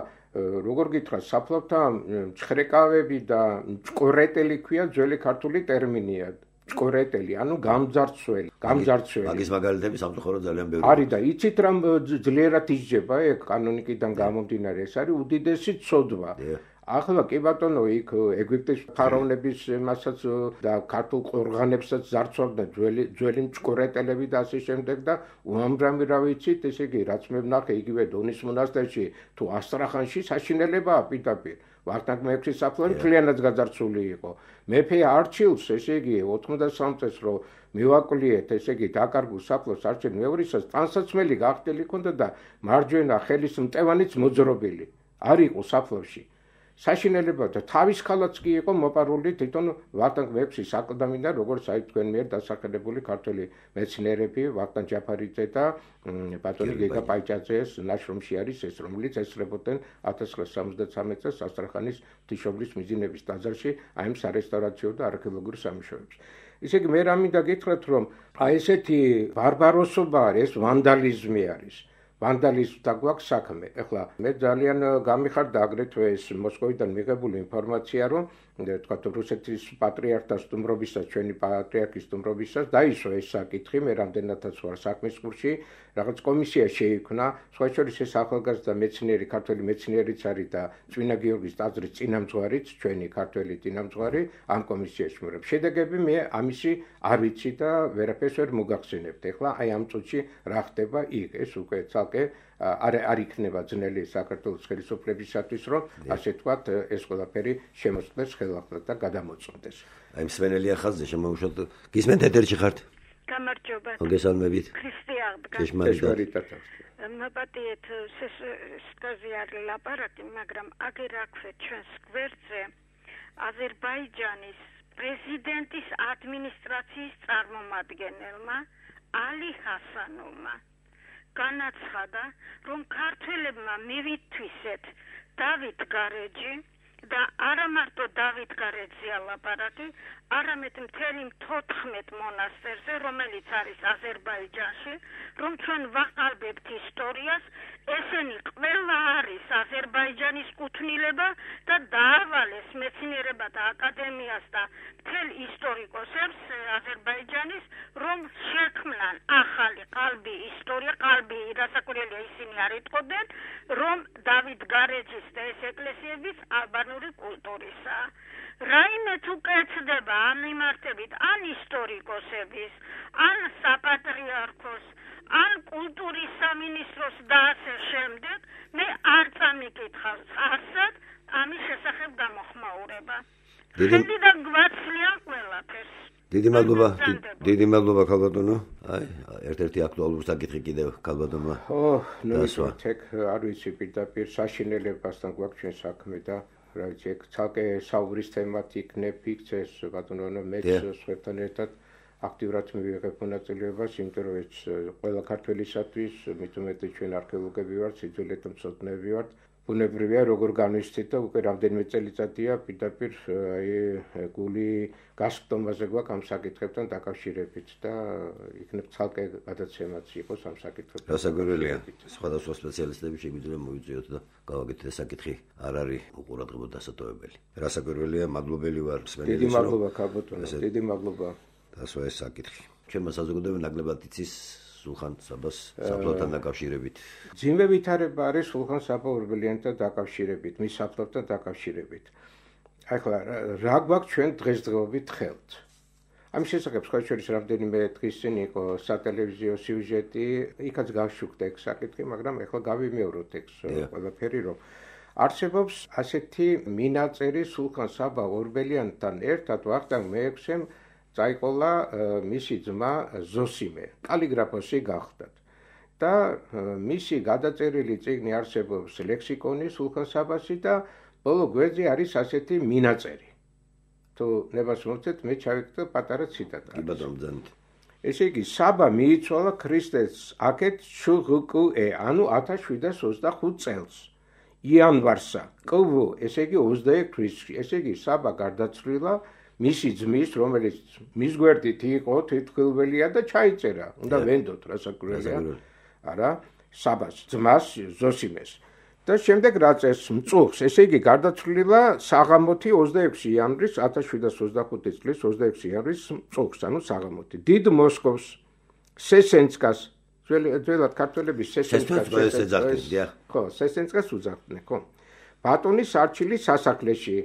როგორ გითხრათ, საფლავთან ჭხრეკავები და ჭკორეტელი ქვია ძველი ქართული ტერმინია. ჭკორეტელი, ანუ გამძარცველი, გამძარცველი. მაგის მაგალითები სამწუხაროდ ძალიან ბევრი. არის და იცით რა ძლიერად ისჯება ეგ კანონიკიდან გამომდინარე, ეს არის უდიდესი ცოდვა. ახლა კი ბატონო, იქ ეგვიპტის ფარაონების მასაც და ქართულ ყორღანებსაც ზარცვავდა ძველი ძველი ჭკორეტელები და ასე შემდეგ და უამრავი რა ვიცით, ესე იგი, რაც მე ვნახე იგივე დონის მონასტერში თუ ასტრახანში საშინელებაა პირდაპირ. ვახტანგ მეექვსის საფლავი მთლიანად გაძარცვული იყო. მეფე არჩილს, ესე იგი, ოთხმოცდასამ წელს რო მივაკვლიეთ, ესე იგი, დაკარგულ საფლავს არჩილ მეორისას ტანსაცმელი გახდილი ქონდა და მარჯვენა ხელის მტევანიც მოძრობილი. არ იყო საფლავში. საშინელება და თავის ხალაც კი იყო მოპარული თვითონ ვახტანგ მეექვსის აკლდამიდან, როგორც აი თქვენ მიერ დასახელებული ქართველი მეცნიერები ვახტანგ ჯაფარიძე და ბატონი გიგა პაიჭაძეს ნაშრომში არის ეს, რომელიც ესწრებოდნენ ათას ცხრაასა სამოცდათვრამეტ წელს ასტრახანის ღვთისმშობლის მიძინების ტაძარში აი ამ სარესტავრაციო და არქეოლოგიურ სამუშაოებს. ისე იგი მე რა მინდა გითხრათ, რომ აი ესეთი ბარბაროსობა არის, ეს ვანდალიზმი არის. ვანდალიზმთან გვაქვს საქმე. ეხლა მე ძალიან გამიხარდა აგრეთვე ეს მოსკოვიდან მიღებული ინფორმაცია, რომ თქვათ რუსეთის პატრიარქთა სტუმრობისას, ჩვენი პატრიარქის სტუმრობისას დაისვა ეს საკითხი, მე რამდენადაც ვარ საქმის კურსში, რაღაც კომისია შეიქმნა, სხვა შორის ეს ახალგაზრდა მეცნიერი, ქართველი მეცნიერიც არის და წმინდა გიორგის ტაძრის წინამძღვარიც, ჩვენი ქართველი წინამძღვარი ამ კომისიაში მორებ. შედეგები მე ამისი არ ვიცი და ვერაფერს ვერ მოგახსენებთ. ეხლა აი ამ წუთში რა ხდება იქ, ეს უკვე ცალკე არ არ იქნება ძნელი საქართველოს ხელისუფლებისათვის, რომ ასე თქვათ ეს ყველაფერი შემოწყდეს ხელახლა და გადამოწმდეს. აი მსვენელი ახალზე შემოუშვათ. გისმენთ ეთერში ხართ? გამარჯობა. მოგესალმებით. ქრისტიანობა. ჭეშმარიტად. მაპატიეთ სესკაზი არ ლაპარაკი, მაგრამ აგერ აქვე ჩვენს გვერდზე აზერბაიჯანის პრეზიდენტის ადმინისტრაციის წარმომადგენელმა ალი ჰასანოვმა განაცხადა, რომ ქართველებმა მივითვისეთ დავით გარეჯი და არა მარტო დავით გარეჯზეა ლაპარაკი, არამედ მთელი თოთხმეტ მონასტერზე, რომელიც არის აზერბაიჯანში, რომ ჩვენ ვაყალბებთ ისტორიას, ესენი ყველა არის აზერბაიჯანის კუთვნილება და დაავალეს მეცნიერებათა აკადემიას და მთელ ისტორიკოსებს აზერბაიჯანის, რომ შექმნან ახალი ყალბი ისტორია, ყალბი რასაკვირველია ისინი არ იტყობენ, რომ დავით გარეჯის და ეს ეკლესიების ალბანური კულტურისაა. რაიმე თუ კეთდება ამ მიმართებით ან ისტორიკოსების, ან საპატრიარქოს, ან კულტურის სამინისტროს და ასე შემდეგ, მე არ წამიკითხავს არსად ამის შესახებ გამოხმაურება. ხედი და გვაცლიან ყველაფერს. დიდი მადლობა, დიდი მადლობა ქალბატონო. აი, ერთ-ერთი აქტუალური საკითხი კიდევ ქალბატონმა. ო, ნუ ისე არ ვიცი პირდაპირ საშინელებასთან გვაქვს ჩვენ საქმე და რა ვიცი, ეგ ცალკე საუბრის თემად იქნებ იქცეს ბატონო მეც სხვებთან ერთად აქტიურად მივიღებ მონაწილეობას, იმიტომ რომ ეს ყველა ქართველისათვის, მით უმეტე ჩვენ არქეოლოგები ვართ, სიძველეთა მცოდნეები ვართ. ბუნებრივია როგორ განვიცდით და უკვე რამდენიმე წელიწადია პირდაპირ აი გული გასწომაზე გვაქვს ამ საკითხებთან დაკავშირებით და იქნებ ცალკე გადაცემაც იყოს ამ საკითხებთან. რასაკვირველია, სხვადასხვა სპეციალისტები შეგვიძლია მოვიწვიოთ და გავაკეთოთ ეს საკითხი არ არის უყურადღებოდ დასატოვებელი. რასაკვირველია, მადლობელი ვარ მსმენელს. დიდი მადლობა ქაბოტონო, დიდი მადლობა. დასვა ეს საკითხი. ჩვენმა საზოგადოებამ ნაკლებად იცის სულხან საბას საფლავთან დაკავშირებით. ძიმე ვითარება არის სულხან საბა ორბელიანთან დაკავშირებით, მის საფლავთან დაკავშირებით. ახლა რა გვაქვს ჩვენ დღესდღეობით ხელთ? ამის შესახებ სხვა შორის რამდენიმე დღის წინ იყო სატელევიზიო სიუჟეტი, იქაც გავშუქდა ეგ საკითხი, მაგრამ ახლა გავიმეოროთ ეგ ყველაფერი, რომ არსებობს ასეთი მინაწერი სულხან საბა ორბელიანთან ერთად ვახტანგ მეექვსემ წაიყოლა მისი ძმა ზოსიმე, კალიგრაფოსი გახდათ. და მისი გადაწერილი წიგნი არსებობს ლექსიკონი სულხან საბასი და ბოლო გვერდზე არის ასეთი მინაწერი. თუ ნებას მოვცეთ, მე ჩავიკეთე პატარა ციტატა. კი ბატონო, ძალიან. ესე იგი, საბა მიიცვალა ქრისტეს აქეთ შუღუკუე, ანუ ათას შვიდას ოცდახუთ წელს. იანვარსა, კვ, ესე იგი ოცდაექვსი თვისში, ესე იგი საბა გარდაცვლილა მისი ძმის, რომელიც მის გვერდით იყო თვითმხილველია და ჩაიწერა. უნდა ვენდოთ, რასაკვირველია. არა, საბას ძმას ზოსიმეს. და შემდეგ რა წეს მწუხს, ესე იგი გარდაცვლილა საღამოთი ოცდაექვსი იანვრის ათას შვიდას ოცდახუთი წლის ოცდაექვსი იანვრის მწუხს, ანუ საღამოთი. დიდ მოსკოვს სესენცკას, ძველად ქართველები სესენცკას ეძახდნენ, ხო, სესენცკას უძახდნენ, ხო. ბატონის არჩილის სასახლეში.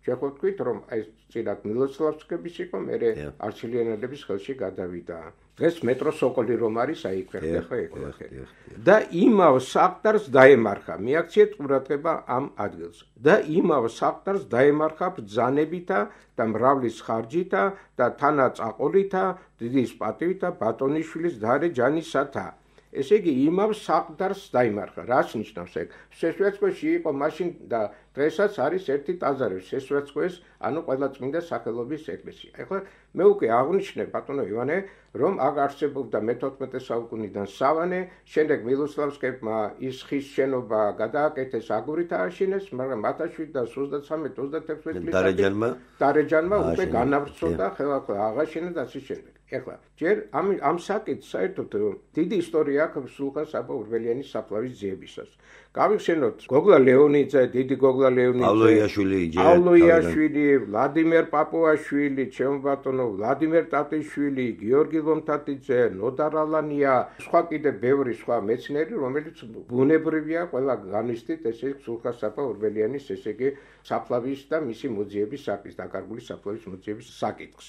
შეხო თქვით, რომ აი წილად მილოცლავსკების იყო, მერე არჩილიანელების ხელში გადავიდა. დღეს მეტრო სოკოლი რომ არის, აი იქ ვერხდა ხო ეკოლახერი. და იმავ საყდარს დაემარხა, მიაქციეთ ყურადღება ამ ადგილს. და იმავ საყდარს დაემარხა ბრძანებითა და მრავლის ხარჯითა და თანაწაყოლითა, დიდის პატივითა ბატონიშვილის დარე ჯანისათა. ესე იგი, იმავ საყდარს დაიმარხა. რას ნიშნავს ეგ? სესვეცკოში იყო მაშინ და დღესაც არის ერთი ტაძარი სესვეცკოს, ანუ ყველა წმინდა სახელობის ეკლესია. ახლა მე უკვე აღნიშნე ბატონო ივანე, რომ აქ არსებობდა მეთოთხმეტე საუკუნიდან სავანე, შემდეგ მილოსლავსკებმა ის ხის შენობა გადააკეთეს, აგურით ააშენეს, მაგრამ ათას შვიდას ოცდათვრამეტ ოცდათექვსმეტ წლებში დარეჯანმა დარეჯანმა უკვე განავრცოდა ხელახლა აღაშენა და ასე შემდეგ. ახლა ჯერ ამ ამ საკითხს საერთოდ დიდი ისტორია აქვს სულხან საბა ორბელიანის საფლავის ძიებისას. გავიხსენოთ გოგლა ლეონიძე, დიდი გოგლა ლეონიძე, პავლოიაშვილი, პავლოიაშვილი, ვლადიმერ პაპუაშვილი, ჩემო ბატონო, ვლადიმერ ტატიშვილი, გიორგი ლომთათიძე, ნოდარალანია, სხვა კიდე ბევრი სხვა მეცნიერი, რომელიც ბუნებრივია ყველა განვიცდით ესე სულხან საბა ორბელიანის ესე იგი საფლავის და მისი მოძიების საკითხს, დაკარგული საფლავის მოძიების საკითხს.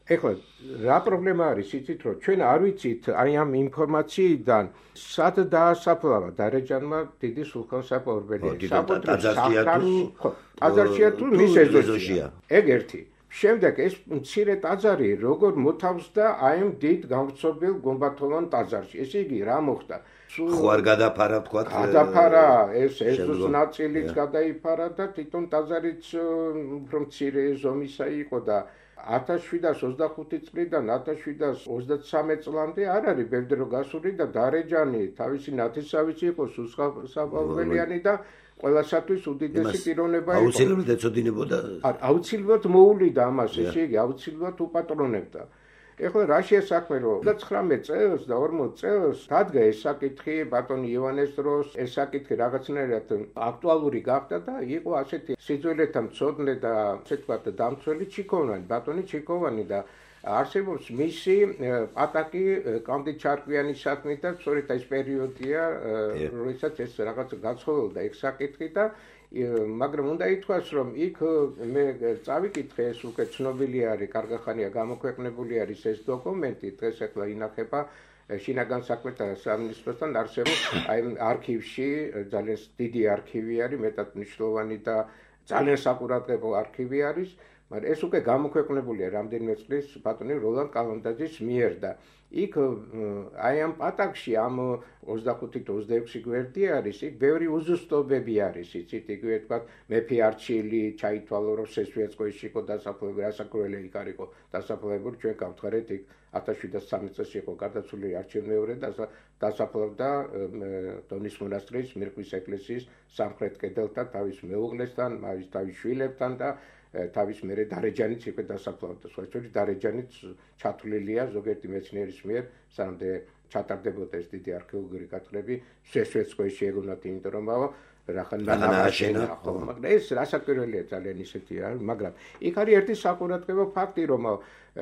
ეხლა რა პრობლემა არის იცით რომ ჩვენ არ ვიცით აი ამ ინფორმაციიდან სად დაასაფლავა დარეჯანმა დიდი სულხან საბა ორბელიანი ტაძარშია თუ მის ეზოში ეგ ერთი შემდეგ ეს მცირე ტაძარი როგორ მოთავსდა აი ამ დიდ გამწობილ გუმბათოვან ტაძარში ესე იგი რა მოხდა ხო არ გადაფარა თქვა გადაფარა ეს ეზოს ნაწილიც გადაიფარა და თვითონ ტაძარიც უფრო მცირე ზომისა იყო და ათას შვიდას ოცდახუთი წლიდან ათას შვიდას ოცდათსამეტ წლამდე არ არის ბევრი დრო გასული და დარეჯანი თავისი ნათესავიც იყო სულხან საბა ორბელიანი და ყველასათვის უდიდესი პიროვნება იყო. აუცილებლად ეწოდინებოდა. აუცილებლად მოულიდა ამას, ესე იგი აუცილებლად უპატრონებდა. ეხლა რა შეასაქმე რომ ოცდათვრამეტ წელს და ორმოც წელს დადგა ეს საკითხი ბატონი ივანეს დროს ეს საკითხი რაღაცნაირად აქტუალური გახდა და იყო ასეთი სიძველეთა მცოდნე და ასე ვთქვათ დამცველი ჩიქოვანი ბატონი ჩიქოვანი და არსებობს მისი პატაკი კანდი ჩარკვიანის საქმით და სწორედ ეს პერიოდია როდესაც ეს რაღაც გაცხოვდა ეგ საკითხი და მაგრამ უნდა ითქვას რომ იქ მე წავიკითხე ეს უკვე ცნობილი არის კარგახანია გამოქვეყნებული არის ეს დოკუმენტი დღეს ახლა ინახება შინაგან საქმეთა სამინისტროსთან არსებობს აი არქივში ძალიან დიდი არქივი არის მეტად მნიშვნელოვანი და ძალიან საკურატებო არქივი არის, მაგრამ ეს უკვე გამოქვეყნებულია რამდენიმე წლის ბატონი როლან კალანდაძის მიერ და იქ აი ამ პატაკში ამ ოცდახუთი თუ ოცდაექვსი გვერდი არის, იქ ბევრი უზუსტობები არის, იცით, იგივე თქვა მეფე არჩილი ჩაითვალო, რომ სესვიეცკოიში იყო დასაფლავებული, რასაკვირველი იქ არ იყო დასაფლავებული, ჩვენ გავთხარეთ იქ ათას შვიდას სამი წელს იყო გარდაცვლილი არჩევნმეორე და დასაფლავდა დონის მონასტრის მირკვის ეკლესიის სამხრეთ კედელთან თავის მეუღლესთან, თავის შვილებთან და თავის მერე დარეჯანიც იყო დასაფლავდა. სწორედ დარეჯანიც ჩათვლილია ზოგიერთი მეცნიერის მიერ, სამდე ჩატარდებოდა ეს დიდი არქეოლოგიური გათხრები, სესვეცკოიში ეგონათ, იმიტომ რომ რახან ნააშენა, ხო, მაგრამ ეს რასაკვირველია ძალიან ისეთი რა, მაგრამ იქ არის ერთი საყურადღებო ფაქტი, რომ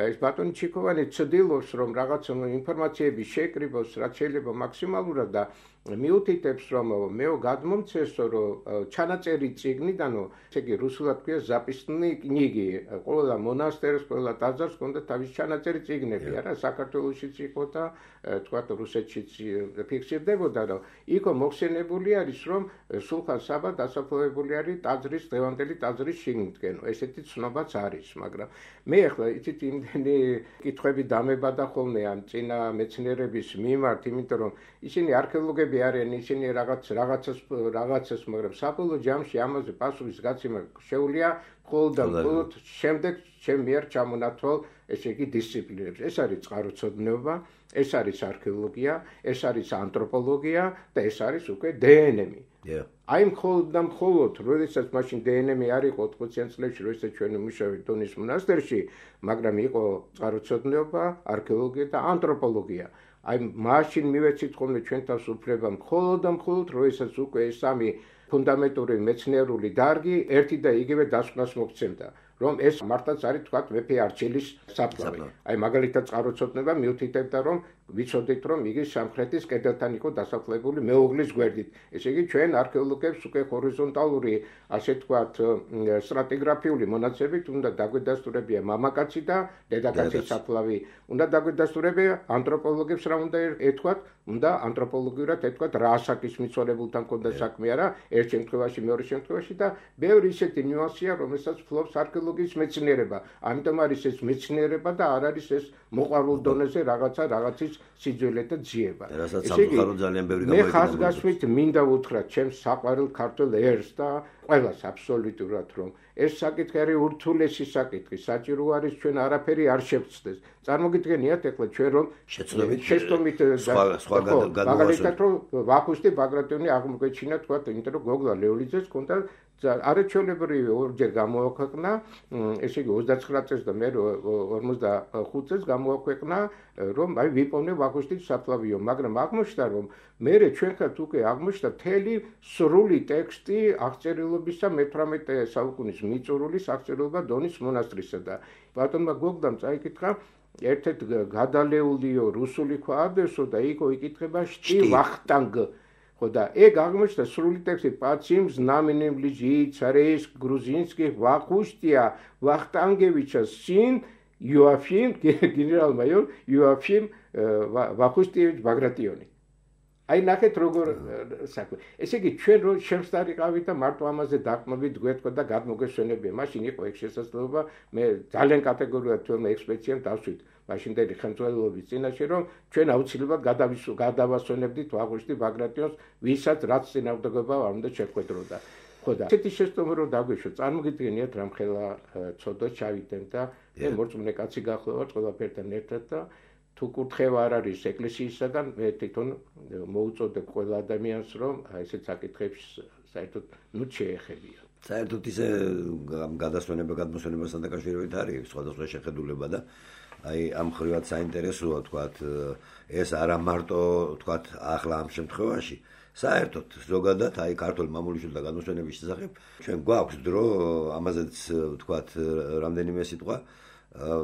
ეს ბატონი ჩიქოვანი ცდილობს, რომ რაღაც ინფორმაციები შეკრიბოს, რაც შეიძლება მაქსიმალურად და მიუთითებს, რომ მეო გადმომცესო, რომ ჩანაწერი წიგნიდანო, ესე იგი რუსულად ქვია ზაპისნი კნიგი, ყველა მონასტერს, ყველა ტაძარს ჰქონდა თავის ჩანაწერი წიგნები, არა, საქართველოშიც იყო და თქვათ რუსეთშიც ფიქსირდებოდა, რომ იქო მოხსენებული არის, რომ სულხან საბა დასაფლავებული არის ტაძრის დღევანდელი ტაძრის შიგნითკენ. ესეთი ცნობაც არის, მაგრამ მე ახლა იცით იმდენი კითხვები დამებადა ხოლმე ამ წინა მეცნიერების მიმართ, იმიტომ რომ ისინი არქეოლოგები არიან, ისინი რაღაც რაღაცას რაღაცას, მაგრამ საბოლოო ჯამში ამაზე პასუხის გაცემა შეუძლია მხოლოდ და მხოლოდ შემდეგ ჩემ მიერ ჩამონათვალ ესე იგი დისციპლინებს. ეს არის წყაროწოდნეობა, ეს არის არქეოლოგია, ეს არის ანთროპოლოგია და ეს არის უკვე დე ენ ემი. აი მხოლოდ და მხოლოდ, როდესაც მაშინ დე ენ ემი არ იყო ოთხმოციან წლებში, როდესაც ჩვენ ვიმუშავეთ დონის მონასტერში, მაგრამ იყო წყაროწოდნეობა, არქეოლოგია და ანთროპოლოგია. აი მაშინ მივეცით ხოლმე ჩვენ თავს უფლება მხოლოდ და მხოლოდ, როდესაც უკვე ეს სამი ფუნდამენტური მეცნიერული დარგი ერთი და იგივე დასკვნას მოგცემდა, რომ ეს მართლაც არის თქვათ მეფე არჩილის საფლავი. აი მაგალითად წყაროწოდნება მიუთითებდა, რომ ვიცოდით, რომ იგი სამხრეთის კედელთან იყო დასაფლავებული მეუღლის გვერდით. ესე იგი ჩვენ არქეოლოგებს უკვე ჰორიზონტალური, ასე თქვათ, სტრატიგრაფიული მონაცემებით უნდა დაგვედასტურებია მამაკაცი და დედაკაცის საფლავი. უნდა დაგვედასტურებია ანთროპოლოგებს რა უნდა ეთქვათ, უნდა ანთროპოლოგიურად ეთქვათ რა ასაკის მიცვალებულთან ჰქონდა საქმე არა, ერთ შემთხვევაში, მეორე შემთხვევაში და ბევრი ისეთი ნიუანსია, რომელსაც ფლობს არქეოლოგიის მეცნიერება. ამიტომ არის ეს მეცნიერება და არ არის ეს მოყვარულ დონეზე რაღაცა რაღაცის სიძველე და ძიება. ესე იგი, მე ხაზგასმით მინდა უთხრა ჩემს საყვარელ ქართულ ერს და ყველას აბსოლუტურად, რომ ეს საკითხი არის ურთულესი საკითხი, საჭირო არის ჩვენ არაფერი არ შევცდეს. წარმოგიდგენიათ ახლა ჩვენ რომ შეცდომით მაგალითად რომ ვახუშტი ბაგრატიონი აღმოგვეჩინა თქვა, იმიტომ რომ გოგლა ლეოლიძეს ჰქონდა არაჩვეულებრივი ორჯერ გამოაქვეყნა, ესე იგი ოცდაცხრა წელს და მე ორმოცდახუთ წელს გამოაქვეყნა, რომ აი ვიპოვნე ვახუშტის საფლავიო, მაგრამ აღმოჩნდა რომ მე ჩვენ ხართ უკვე აღმოჩნდა მთელი სრული ტექსტი აღწერილობისა მეთვრამეტე საუკუნის მიწურულის აღწერილობა დონის მონასტრისა და ბატონმა გოგდამ წაიკითხა ერთ-ერთ გადალეულიო რუსული ქვა ადესო და იქო იკითხება შტი ვახტანგ. ხო და ეგ აღმოჩნდა სრული ტექსტი პაციმ ზნამენემ ლიჯი ცარეს გრუზინსკი ვახუშტია ვახტანგევიჩა სინ იოაფიმ გენერალ-მაიორ იოაფიმ ვახუშტიევიჩ ბაგრატიონი. აი ნახეთ როგორ საქმე. ესე იგი ჩვენ რო შევსტარიყავით და მარტო ამაზე დაყმობით გვეთქვა და გადმოგესვენებია. მაშინ იყო ეგ შესაძლებლობა, მე ძალიან კატეგორიულად თვითონ ექსპედიციამ დავსვით მაშინდელი ხელმძღვანელობის წინაშე, რომ ჩვენ აუცილებლად გადავასვენებდით ვახუშტი ბაგრატიონს, ვისაც რაც წინააღმდეგობა არ უნდა შეხვედროდა. ხო და ესეთი შეცდომა რო დაგვეშვა, წარმოგიდგენიათ რამხელა ცოდვა ჩავიდნენ და მე მორწმუნე კაცი გახლავართ ყველაფერთან ერთად და თუ კურთხევა არ არის ეკლესიისაგან, მე თვითონ მოუწოდებ ყველა ადამიანს, რომ ესეთ საკითხებს საერთოდ ნუ შეეხებია. საერთოდ ისე გადასვენება გადმოსვენებასთან დაკავშირებით არის სხვადასხვა შეხედულება და აი ამ ხრივად საინტერესოა თქვათ ეს არა მარტო თქვათ ახლა ამ შემთხვევაში საერთოდ ზოგადად აი ქართულ მამულიშვილთა გადმოსვენების შესახებ ჩვენ გვაქვს დრო ამაზეც თქვათ რამდენიმე სიტყვა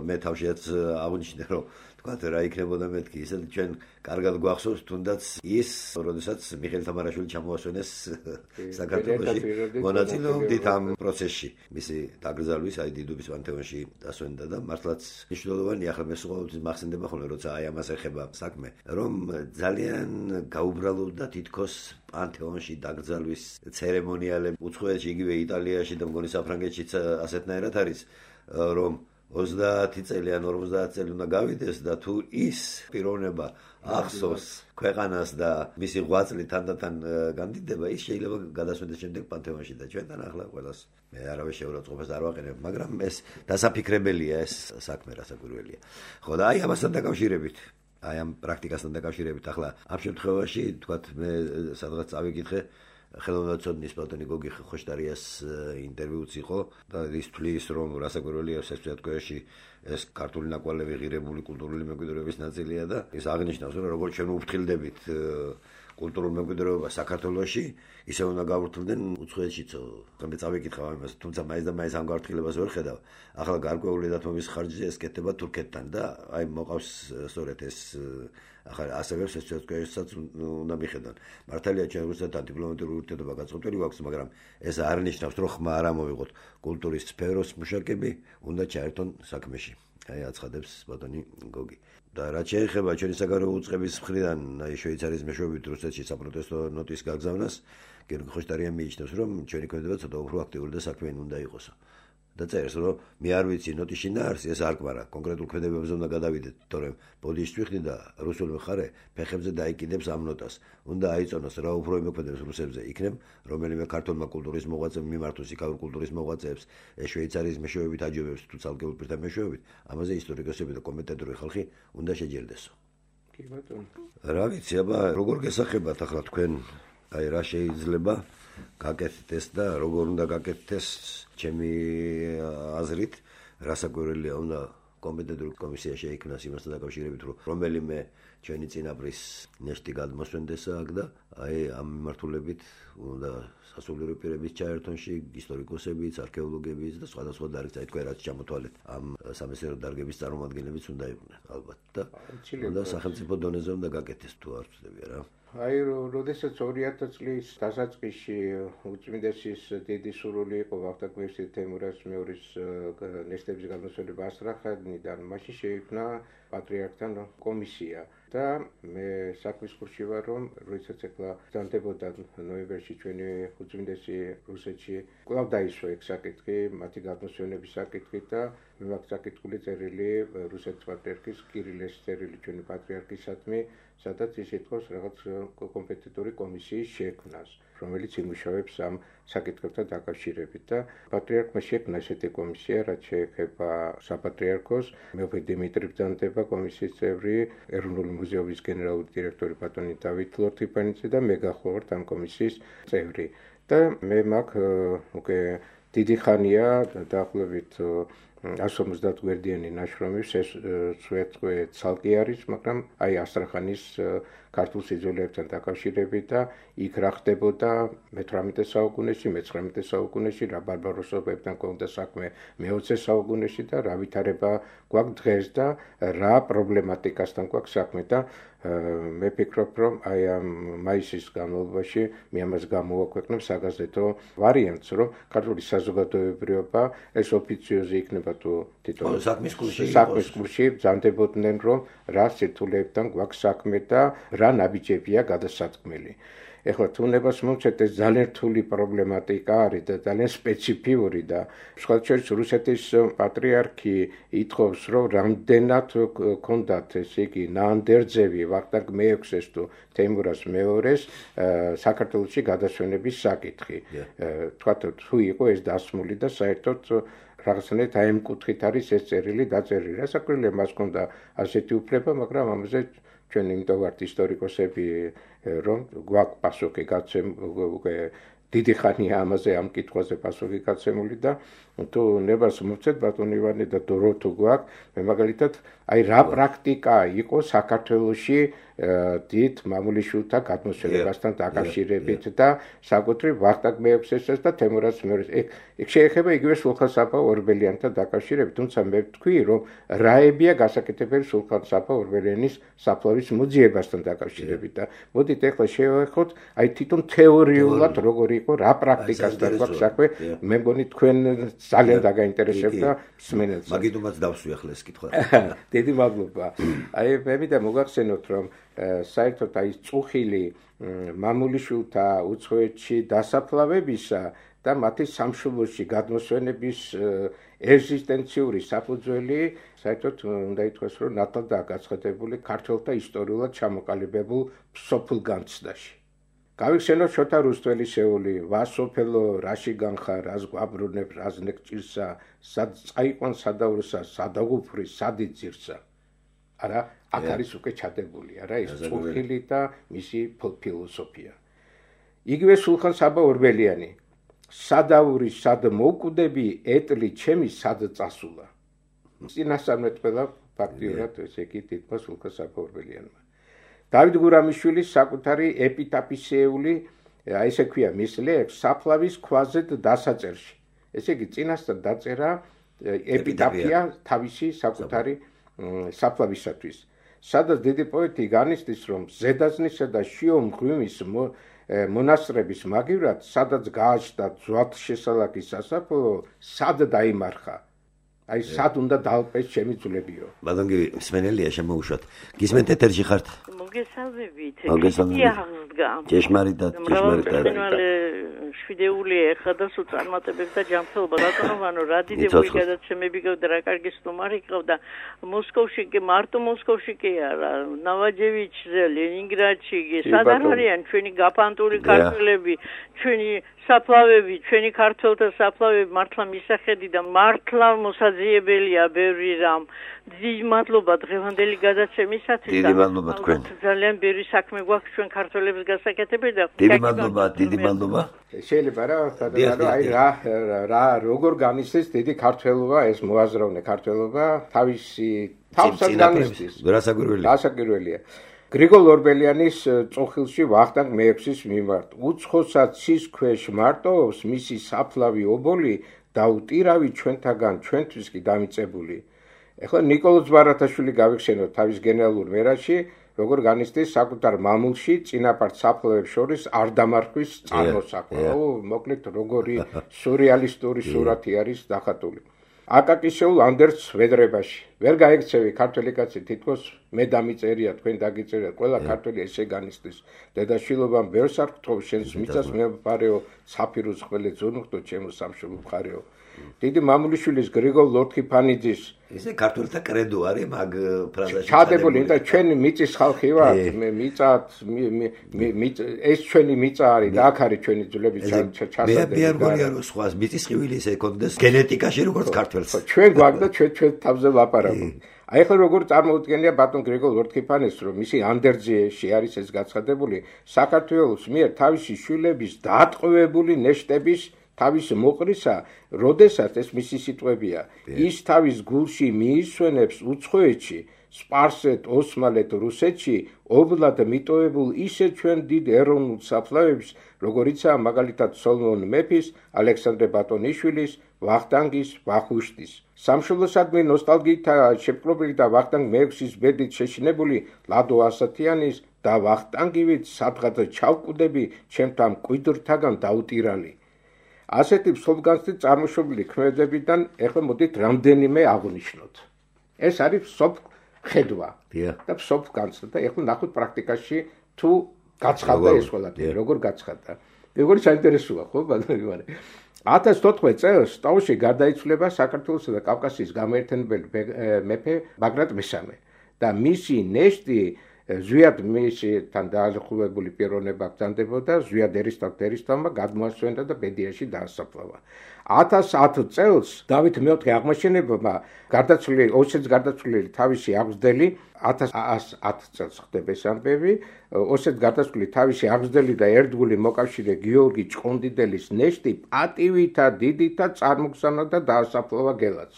მე თავშიაც აღნიშნე რომ თქვა რა იქნებოდა მეთქი ისე ჩვენ კარგად გვახსოვს თუნდაც ის როდესაც მიხეილ თამარაშვილი ჩამოასვენეს საქართველოში მონაწილეობით ამ პროცესში მისი დაკრძალვის აი დიდუბის პანთეონში დასვენდა და მართლაც მნიშვნელოვანია ახლა მე ყოველთვის მახსენდება ხოლმე როცა აი ამას ეხება საქმე რომ ძალიან გაუბრალოვდა თითქოს პანთეონში დაკრძალვის ცერემონიალები უცხოეთში იგივე იტალიაში და მგონი საფრანგეთშიც ასეთნაირად არის რომ ოცდაათი წელი ან ორმოცდაათი წელი უნდა გავიდეს და თუ ის პიროვნება ახსოვს ქვეყანას და მისი ღვაწლი თანდათან განდიდება ის შეიძლება გადასვენდეს შემდეგ პანთეონში და ჩვენთან ახლა ყველას მე არავის შეურაცხყოფას არ ვაყენებ მაგრამ ეს დასაფიქრებელია ეს საქმე რასაკვირველია ხო და აი ამასთან დაკავშირებით აი ამ პრაქტიკასთან დაკავშირებით ახლა ამ შემთხვევაში თქვათ მე სადღაც წავიკითხე ხელოვნებაცოდნის ბატონი გოგი ხოშტარიას ინტერვიუც იყო და ის თვლის რომ რასაკვირველია საქართველოში ეს ქართული ნაკვალევი ღირებული კულტურული მემკვიდრეობის ნაწილია და ის აღნიშნავს რომ როგორც ჩვენ ვფრთხილდებით კულტურულ მემკვიდრეობას საქართველოში ისე უნდა გავვრთლდნენ უცხოეთშიც მე წავიკითხავ ამას თუმცა მაინც და მაინც ამ გავრთქილებას ვერ ხედავ ახლა გარკვეული დათმობის ხარჯზე ეს კეთდება თურქეთთან და აი მოყავს სწორედ ეს ახლა ასევე შესაძლებელსაც უნდა მიხედან მართალია ჩვენ რუსეთთან დიპლომატიური ურთიერთობა გაწყვეტილი გვაქვს მაგრამ ეს არ ნიშნავს რომ ხმა არ ამოვიღოთ კულტურის სფეროს მუშაკები უნდა ჩაერთონ საქმეში აი აცხადებს ბატონი გოგი და რაც შეეხება ჩვენი საგარეო უწყების მხრიდან აი შვეიცარიის მეშვეობით რუსეთში საპროტესტო ნოტის გაგზავნას გიორგი ხოშტარიანი მიიჩნევს რომ ჩვენი ქმედება ცოტა უფრო აქტიური და საქმიანი უნდა იყოსო და წერს რომ მე არ ვიცი ნოტის შინაარსი ეს არ კვარა კონკრეტულ ქმედებებზე უნდა გადავიდეთ თორემ ბოდიშს ვიხდი და რუსული მხარე ფეხებზე დაიკიდებს ამ ნოტას უნდა აიწონოს რა უფრო იმოქმედებს რუსებზე იქნებ რომელიმე ქართულმა კულტურის მოღვაწემ მიმართოს იქაურ კულტურის მოღვაწეებს ეს შვეიცარიის მეშვეობით აჯობებს თუ ცალკეულ პირთა მეშვეობით ამაზე ისტორიკოსები და კომენტატორი ხალხი უნდა შეჯერდესო კი ბატონო რა ვიცი აბა როგორ გესახებათ ახლა თქვენ აი რა შეიძლება გაკეთდეს და როგორ უნდა გაკეთდეს ჩემი აზრით რასაკვირველია უნდა კომპეტენტური კომისია შეიქმნას იმასთან დაკავშირებით რომ რომელიმე ჩვენი წინაპრის ნეშტი გადმოსვენდეს აქ და აი ამ მიმართულებით უნდა სასულიერო პირების ჩაერთონში ისტორიკოსებიც არქეოლოგებიც და სხვადასხვა დარგის აი თქვენ რაც ჩამოთვალეთ ამ სამეცნიერო დარგების წარმომადგენლებიც უნდა იყვნენ ალბათ და უნდა სახელმწიფო დონეზე უნდა გაკეთდეს თუ არ ვწდები რა აი როდესაც ორი ათი წლის დასაწყისში უწმინდესის დიდი სურვილი იყო ვახტანგ მირზა თემურაზ მეორის ნეშტების გადმოსვენება ასტრახანიდან მაშინ შეიქმნა პატრიარქთან კომისია და მე საქმის კურსში ვარ რომ როდესაც ეხლა ბრძანდებოდა ნოემბერში ჩვენი უწმინდესი რუსეთში კვლავ დაისვა ეგ საკითხი მათი გადმოსვენების საკითხი და მე მაქვს საკითხული წერილი რუსეთის პატრიარქის კირილეს წერილი ჩვენი პატრიარქისადმი სადაც ის ეთქოს რაღაც კომპეტენტური კომისიის შექმნას რომელიც იმუშავებს ამ საკითხებთან დაკავშირებით და პატრიარქმა შექმნა ესეთი კომისია რაც შეეხება საპატრიარქოს მეფე დიმიტრი ბრძანდება კომისიის წევრი ეროვნული მუზეუმის გენერალური დირექტორი ბატონი დავით ლორთიფანიძე და მე გახლავართ ამ კომისიის წევრი და მე მაქვს უკვე დიდი ხანია დაახლოებით one hundred fifty გვერდიანი ნაშრომი სვეტყვე ცალკე არის მაგრამ აი ასტრახანის ქართულ სიძველეებთან დაკავშირებით და იქ რა ხდებოდა მეთვრამეტე საუკუნეში მეცხრამეტე საუკუნეში რა ბარბაროსობებთან კონდა საქმე მეოცე საუკუნეში და რა ვითარება გვაქვს დღეს და რა პრობლემატიკასთან გვაქვს საქმე და მე ფიქრობ რომ აი ამ მაისის განმავლობაში მე ამას გამოვაქვეყნებ საგაზეთო ვარიანტს რომ ქართული საზოგადოებრივობა ეს ოფიციოზი იქნება თუ თვითონ საქმის კურსში საქმის კურსში ბრძანდებოდნენ რომ რა სირთულეებთან გვაქვს საქმე და რა ნაბიჯებია გადასაწყვეტილი ეხლა თუნებას მოვცეთ ეს ძალიან რთული პრობლემატიკა არის და ძალიან სპეციფიური და სხვადასხვა რუსეთის პატრიარქი ითხოვს რომ რამდენად ქონდათ ესე იგი ნაანდერძევი ვახტანგ მეექვსეს თუ თემურაზ მეორეს საქართველოში გადასვენების საკითხი თქვათ თუ იყო ეს დასმული და საერთოდ რაღაცნაირად აი ამ კუთხით არის ეს წერილი დაწერილი რასაკვირველია მას ქონდა ასეთი უფლება მაგრამ ამაზე ჩვენ იმიტომ ვართ ისტორიკოსები რომ გვაქვს პასუხი გაცემული დიდი ხანია ამაზე ამ კითხვაზე პასუხი გაცემული და თუ ნებას მოვცეთ ბატონი ივანე და დრო თუ გვაქვს მე მაგალითად აი რა პრაქტიკა იყო საქართველოში დიდ მამულიშვილთა გადმოსვენებასთან დაკავშირებით და საკუთრივ ვახტანგ მეექვსესაც და თემურაზ მეორეს. ეგ შეეხება იგივე სულხან-საბა ორბელიანთან დაკავშირებით, თუმცა მე ვთქვი, რომ რაებია გასაკეთებელი სულხან-საბა ორბელიანის საფლავის მოძიებასთან დაკავშირებით და მოდით ეხლა შევეხოთ, აი თვითონ თეორიულად როგორი იყო, რა პრაქტიკასთან გვაქვს საქმე, მე მგონი თქვენ ძალიან დაგაინტერესებდა მსმენელს. მაგიტომაც დავსვი ახლა ეს კითხვა. დიდი მადლობა. აი მე მინდა მოგახსენოთ, რომ საერთოდ აი წუხილი მამულიშვილთა უცხოეთში დასაფლავებისა და მათი სამშობლოში გადმოსვენების ეგზისტენციური საფუძველი საერთოდ უნდა ითქვას, რომ ნათლადაა გაცხადებული ქართველთა ისტორიულად ჩამოყალიბებულ სოფლ განცდაში. გავიხსენოთ შოთა რუსთველისეული, ვასოფელო, რაში განხარ, რას გვაბრუნებ, რას ნეკჭირსა, სად წაიყვან სადავრსა, სადაღუფრი, სადიძირსა. არა, აქ არის უკვე ჩადებული, არა, ეს წუხილი და მისი ფილოსოფია. იგივე სულხან-საბა ორბელიანი, სადავრი, სად მოვკვდები, ეტლი ჩემი სად წასულა. წინასწარმეტ ყველა ფაქტიურად ესე იგი თითქოს სულხან-საბა ორბელიანმა. დავით გურამიშვილის საკუთარი ეპიტაფისეული, აი ესე ქვია მის ლექს საფლავის ქვაზეთ დასაწერში. ესე იგი წინასწარ დაწერა ეპიტაფია თავისი საკუთარი საფლავისათვის. სადაც დიდი პოეტი განიცდის, რომ ზედაზნისა და შიო მღვიმის მონასტრების მაგივრად, სადაც გააჩნდა ძვათშესალაკის სასაფლაო, სად დაიმარხა. აი სად უნდა დაალპეს ჩემი ძვლებიო. ბატონი მსმენელია შემოუშვათ. გისმენთ ეთერში ხართ? მოგესალმებით. მოგესალმებით. ჭეშმარიტად, ჭეშმარიტად. შვიდეული ეხა და სულ წარმატებებს და ჯანმრთელობა ბატონო, რა დიდებული გადაცემები გქონდა, რა კარგი სტუმარი გყავდა. მოსკოვში კი მარტო მოსკოვში კი არა, ნავაჯევიჩზე, ლენინგრადში, სადარ არიან ჩვენი გაფანტული ქართველები, ჩვენი საფლავები, ჩვენი ქართველთა საფლავები მართლა მისახედი და მართლა მოსაძიებელია ბევრი რამ. დიდი მადლობა დღევანდელი გადაცემისათვის. დიდი მადლობა თქვენ. ძალიან ბევრი საქმე გვაქვს ჩვენ ქართველებს გასაკეთებელი და დიდი მადლობა, დიდი მადლობა. შეიძლება რა, აი რა რა როგორ განიცდის დიდი ქართველობა, ეს მოაზროვნე ქართველობა თავისი თავსად განიცდის. გასაკვირველია. გასაკვირველია. გრიგოლ ორბელიანის წუხილში ვახტანგ მეექვსის მიმართ უცხოსაც ცის ქვეშ მარტოობს მისი საფლავი ობოლი დაუტირავი ჩვენთაგან ჩვენთვის კი დამიწებული. ეხლა ნიკოლოზ ბარათაშვილი გავიხსენოთ თავის გენერალურ მერაში, როგორ განიცდის საკუთარ მამულში წინაპართ საფლავებს შორის არ დამარხვის წარმოსახვა. ო, მოკლედ როგორი სურეალისტური სურათი არის დახატული. აკაკისეულ ანდერს ვედრებაში. ვერ გაიქცევი ქართველი კაცი, თითქოს მე დამიწერია, თქვენ დაგიწერია, ყველა ქართველი ესე განიცდის. დედაშვილობამ ბევრს არ გთხოვ, შენს მიწას მე ვფარეო, საფიროს ხველე ძუნუხტო, ჩემო სამშობლო მხარეო. დიდი მამულიშვილის გრიგოლ ლორთქიფანიძის ესე ქართველთა კრედო არის მაგ ფრაზაში. ჩადებული, და ჩვენი მიწის ხალხი ვართ, მე მიწათ, ეს ჩვენი მიწა არის და აქ არის ჩვენი ძვლები ჩასადები. მე არ მგონია რომ სხვა მიწის ხივილი ესე ეკონდეს გენეტიკაში როგორც ქართველს. ჩვენ გვაქვს და ჩვენ ჩვენ თავზე ლაპარაკობთ. აი ახლა როგორ წარმოუდგენია ბატონ გრიგოლ ლორთქიფანეს, რომ მისი ანდერძიაში არის ეს გაცხადებული, საქართველოს მიერ თავისი შვილების დაატყვევებული ნეშტების თავის მოყრისა, როდესაც ეს მისი სიტყვებია, ის თავის გულში მიისვენებს უცხოეთში, სპარსეთ, ოსმალეთ, რუსეთში, ობლად მიტოვებულ ისე ჩვენ დიდ ეროვნულ საფლავებს, როგორიცაა მაგალითად სოლომონ მეფის, ალექსანდრე ბატონიშვილის, ვახტანგის, ვახუშტის. სამშობლოსადმი ნოსტალგიითა შეპყრობილი და ვახტანგ მეექვსის ბედით შეშინებული ლადო ასათიანის და ვახტანგივით სადღაც ჩავკვდები ჩემთან მკვიდრთაგან დაუტირალი. ასეთი მსოფლგანცდით წარმოშობილი ქმედებიდან ეხლა მოდით რამდენიმე აღვნიშნოთ. ეს არის მსოფლხედვა და მსოფლგანცდა და ეხლა ნახოთ პრაქტიკაში თუ გაცხადდა ეს ყველაფერი, როგორ გაცხადდა. როგორი საინტერესოა, ხო, ბატონო ივანე. ათას თოთხმეტ წელს ტაოში გარდაიცვლება საქართველოსა და კავკასიის გამოერთენებელი მეფე ბაგრატ მესამე და მისი ნეშტი ზვიად მისთან დააზრხულებული პიროვნება ბრძანდებოდა, ზვიად ერისთავთ ერისთავმა გადმოასვენდა და ბედიაში დაასაფლავა. ათას ათ წელს დავით მეოთხე აღმაშენებელმა გარდაცვლილი ოსეთის გარდაცვლილი თავისი აღზრდელი ათას ათ წელს ხდება ეს ამბები, ოსეთის გარდაცვლილი თავისი აღზრდელი და ერთგული მოკავშირე გიორგი ჭყონდიდელის ნეშტი პატივითა დიდითა წარმოგზავნა და დაასაფლავა გელაც.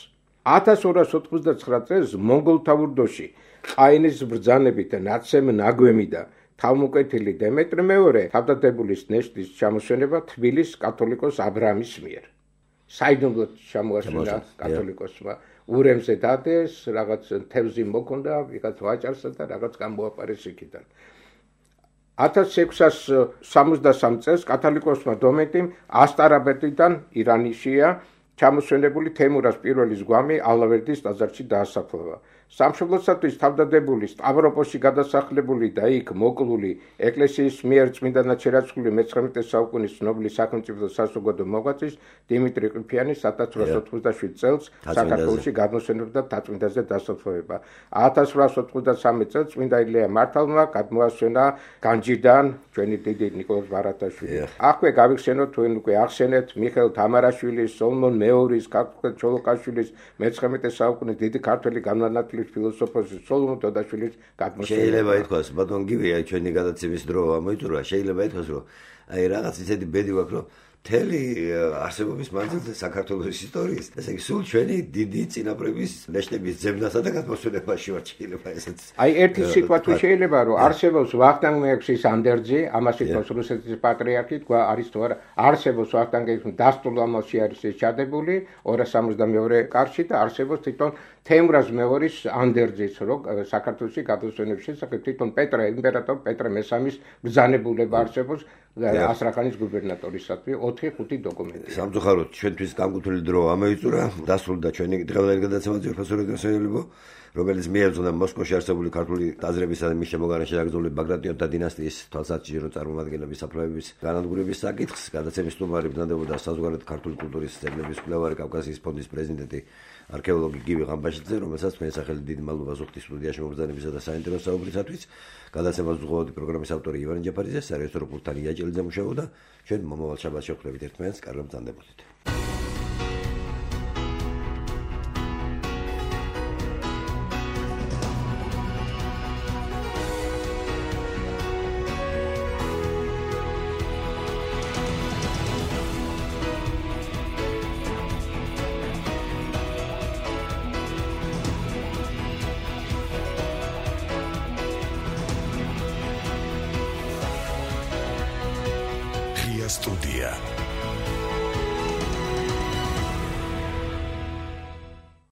ათას ორას ოთხმოცდაცხრა წელს მონგოლთა ურდოში ყაენის ბრძანებით ნაცემ ნაგვემი და თავმოკვეთილი დემეტრე მეორე თავდადებულის ნეშტის ჩამოსვენება თბილის კათოლიკოს აბრამის მიერ. საიდუმლოდ ჩამოასვენა კათოლიკოსმა ურემზე დადეს, რაღაც თევზი მოქონდა, ვიღაც ვაჭარსა და რაღაც გამოაპარეს იქიდან. ათას ექვსას სამოცდასამ წელს კათოლიკოსმა დომენტიმ ასტარაბეთიდან ირანიშია ჩამოსვენებული თემურას პირველის გვამი ალავერდის ტაძარში დაასაფლავა. სამშობლოსათვის თავდადებული სტავროპოლში გადასახლებული და იქ მოკლული ეკლესიის მიერ წმინდანად შერაცხული მეცხრამეტე საუკუნის ცნობილი სახელმწიფო საზოგადო მოღვაწის დიმიტრი ყიფიანის ათას ორას ოთხმოცდაშვიდ წელს საქართველოში გადმოსვენება და დაწმინდაზე დასაფლავება. ათას ორას ოთხმოცდასამი წელს წმინდა ილია მართალმა გადმოასვენა განჯიდან ჩვენი დიდი ნიკოლოზ ბარათაშვილი. აქვე გავიხსენოთ თქვენ უკვე ახსენეთ მიხეილ თამარაშვილის, სოლომონ მეორის, ქართულ ჩოლოყაშვილის მეცხრამეტე საუკუნის დიდი ქართველი განმანათლებელი ფილოსოფოსის სოლომონ დოდაშვილის გადმოსვენება. შეიძლება ითქვას, ბატონ გივია ჩვენი გადაცემის დრო ამოიწურა, შეიძლება ითქვას, რომ აი რაღაც ისეთი ბედი გვაქვს, რომ მთელი არსებობის მანძილზე საქართველოს ისტორიის, ესე იგი სულ ჩვენი დიდი წინაპრების ნეშტების ძებნასა და გადმოსვენებაში ვარ, შეიძლება ესეც. აი ერთი სიტყვა თუ შეიძლება, რომ არსებობს ვახტანგ მეექვსის ანდერძი, ამას ითქვას რუსეთის პატრიარქი, თქვა არის თუ არა, არსებობს ვახტანგ მეექვსის დასტურლ ამალში არის ეს ჩადებული ორას სამოცდამეორე კარში და არსებობს თვითონ თემურაზ მეორის ანდერძის, რომ საქართველოში გადმოსვენების შესახებ თვითონ პეტრე იმპერატორ პეტრე მესამის ბრძანებულება არსებობს ასტრახანის გუბერნატორისათვის ოთხი ხუთი დოკუმენტი. სამწუხაროდ ჩვენთვის გამკუთვნილი დრო ამოიწურა, დასრულდა ჩვენი დღევანდელი გადაცემა ძვირფასური დასაელებო, რომელიც მიეძღვნა მოსკოვში არსებული ქართული ტაძრებისა და მის შემოგარენში დაკრძალული ბაგრატიონთა დინასტიის თვალსაჩინო წარმომადგენლების საფლავების განადგურების საკითხს. გადაცემის სტუმარი ბრძანდებოდა საზოგადოებრივი ქართული კულტურის ძეგლების მკვლევარი კავკასიის ფონდის პრეზიდენტი არქეოლოგი გივი ღამბაშიძე, რომელსაც თქვენი სახელი დიდი მადლობა ზუხტის სტუდიაში მობრძანებისა და საინტერესო საუბრისათვის. გადაცემას უძღვაობდი პროგრამის ავტორი ივანე ჯაფარიძე, სარეჟისორო პულტთან ია ჭელიძე მუშაობდა. ჩვენ მომავალ შაბათს შევხვდებით ერთმანეთს, კარგად ბრძანდებოდეთ. Студия.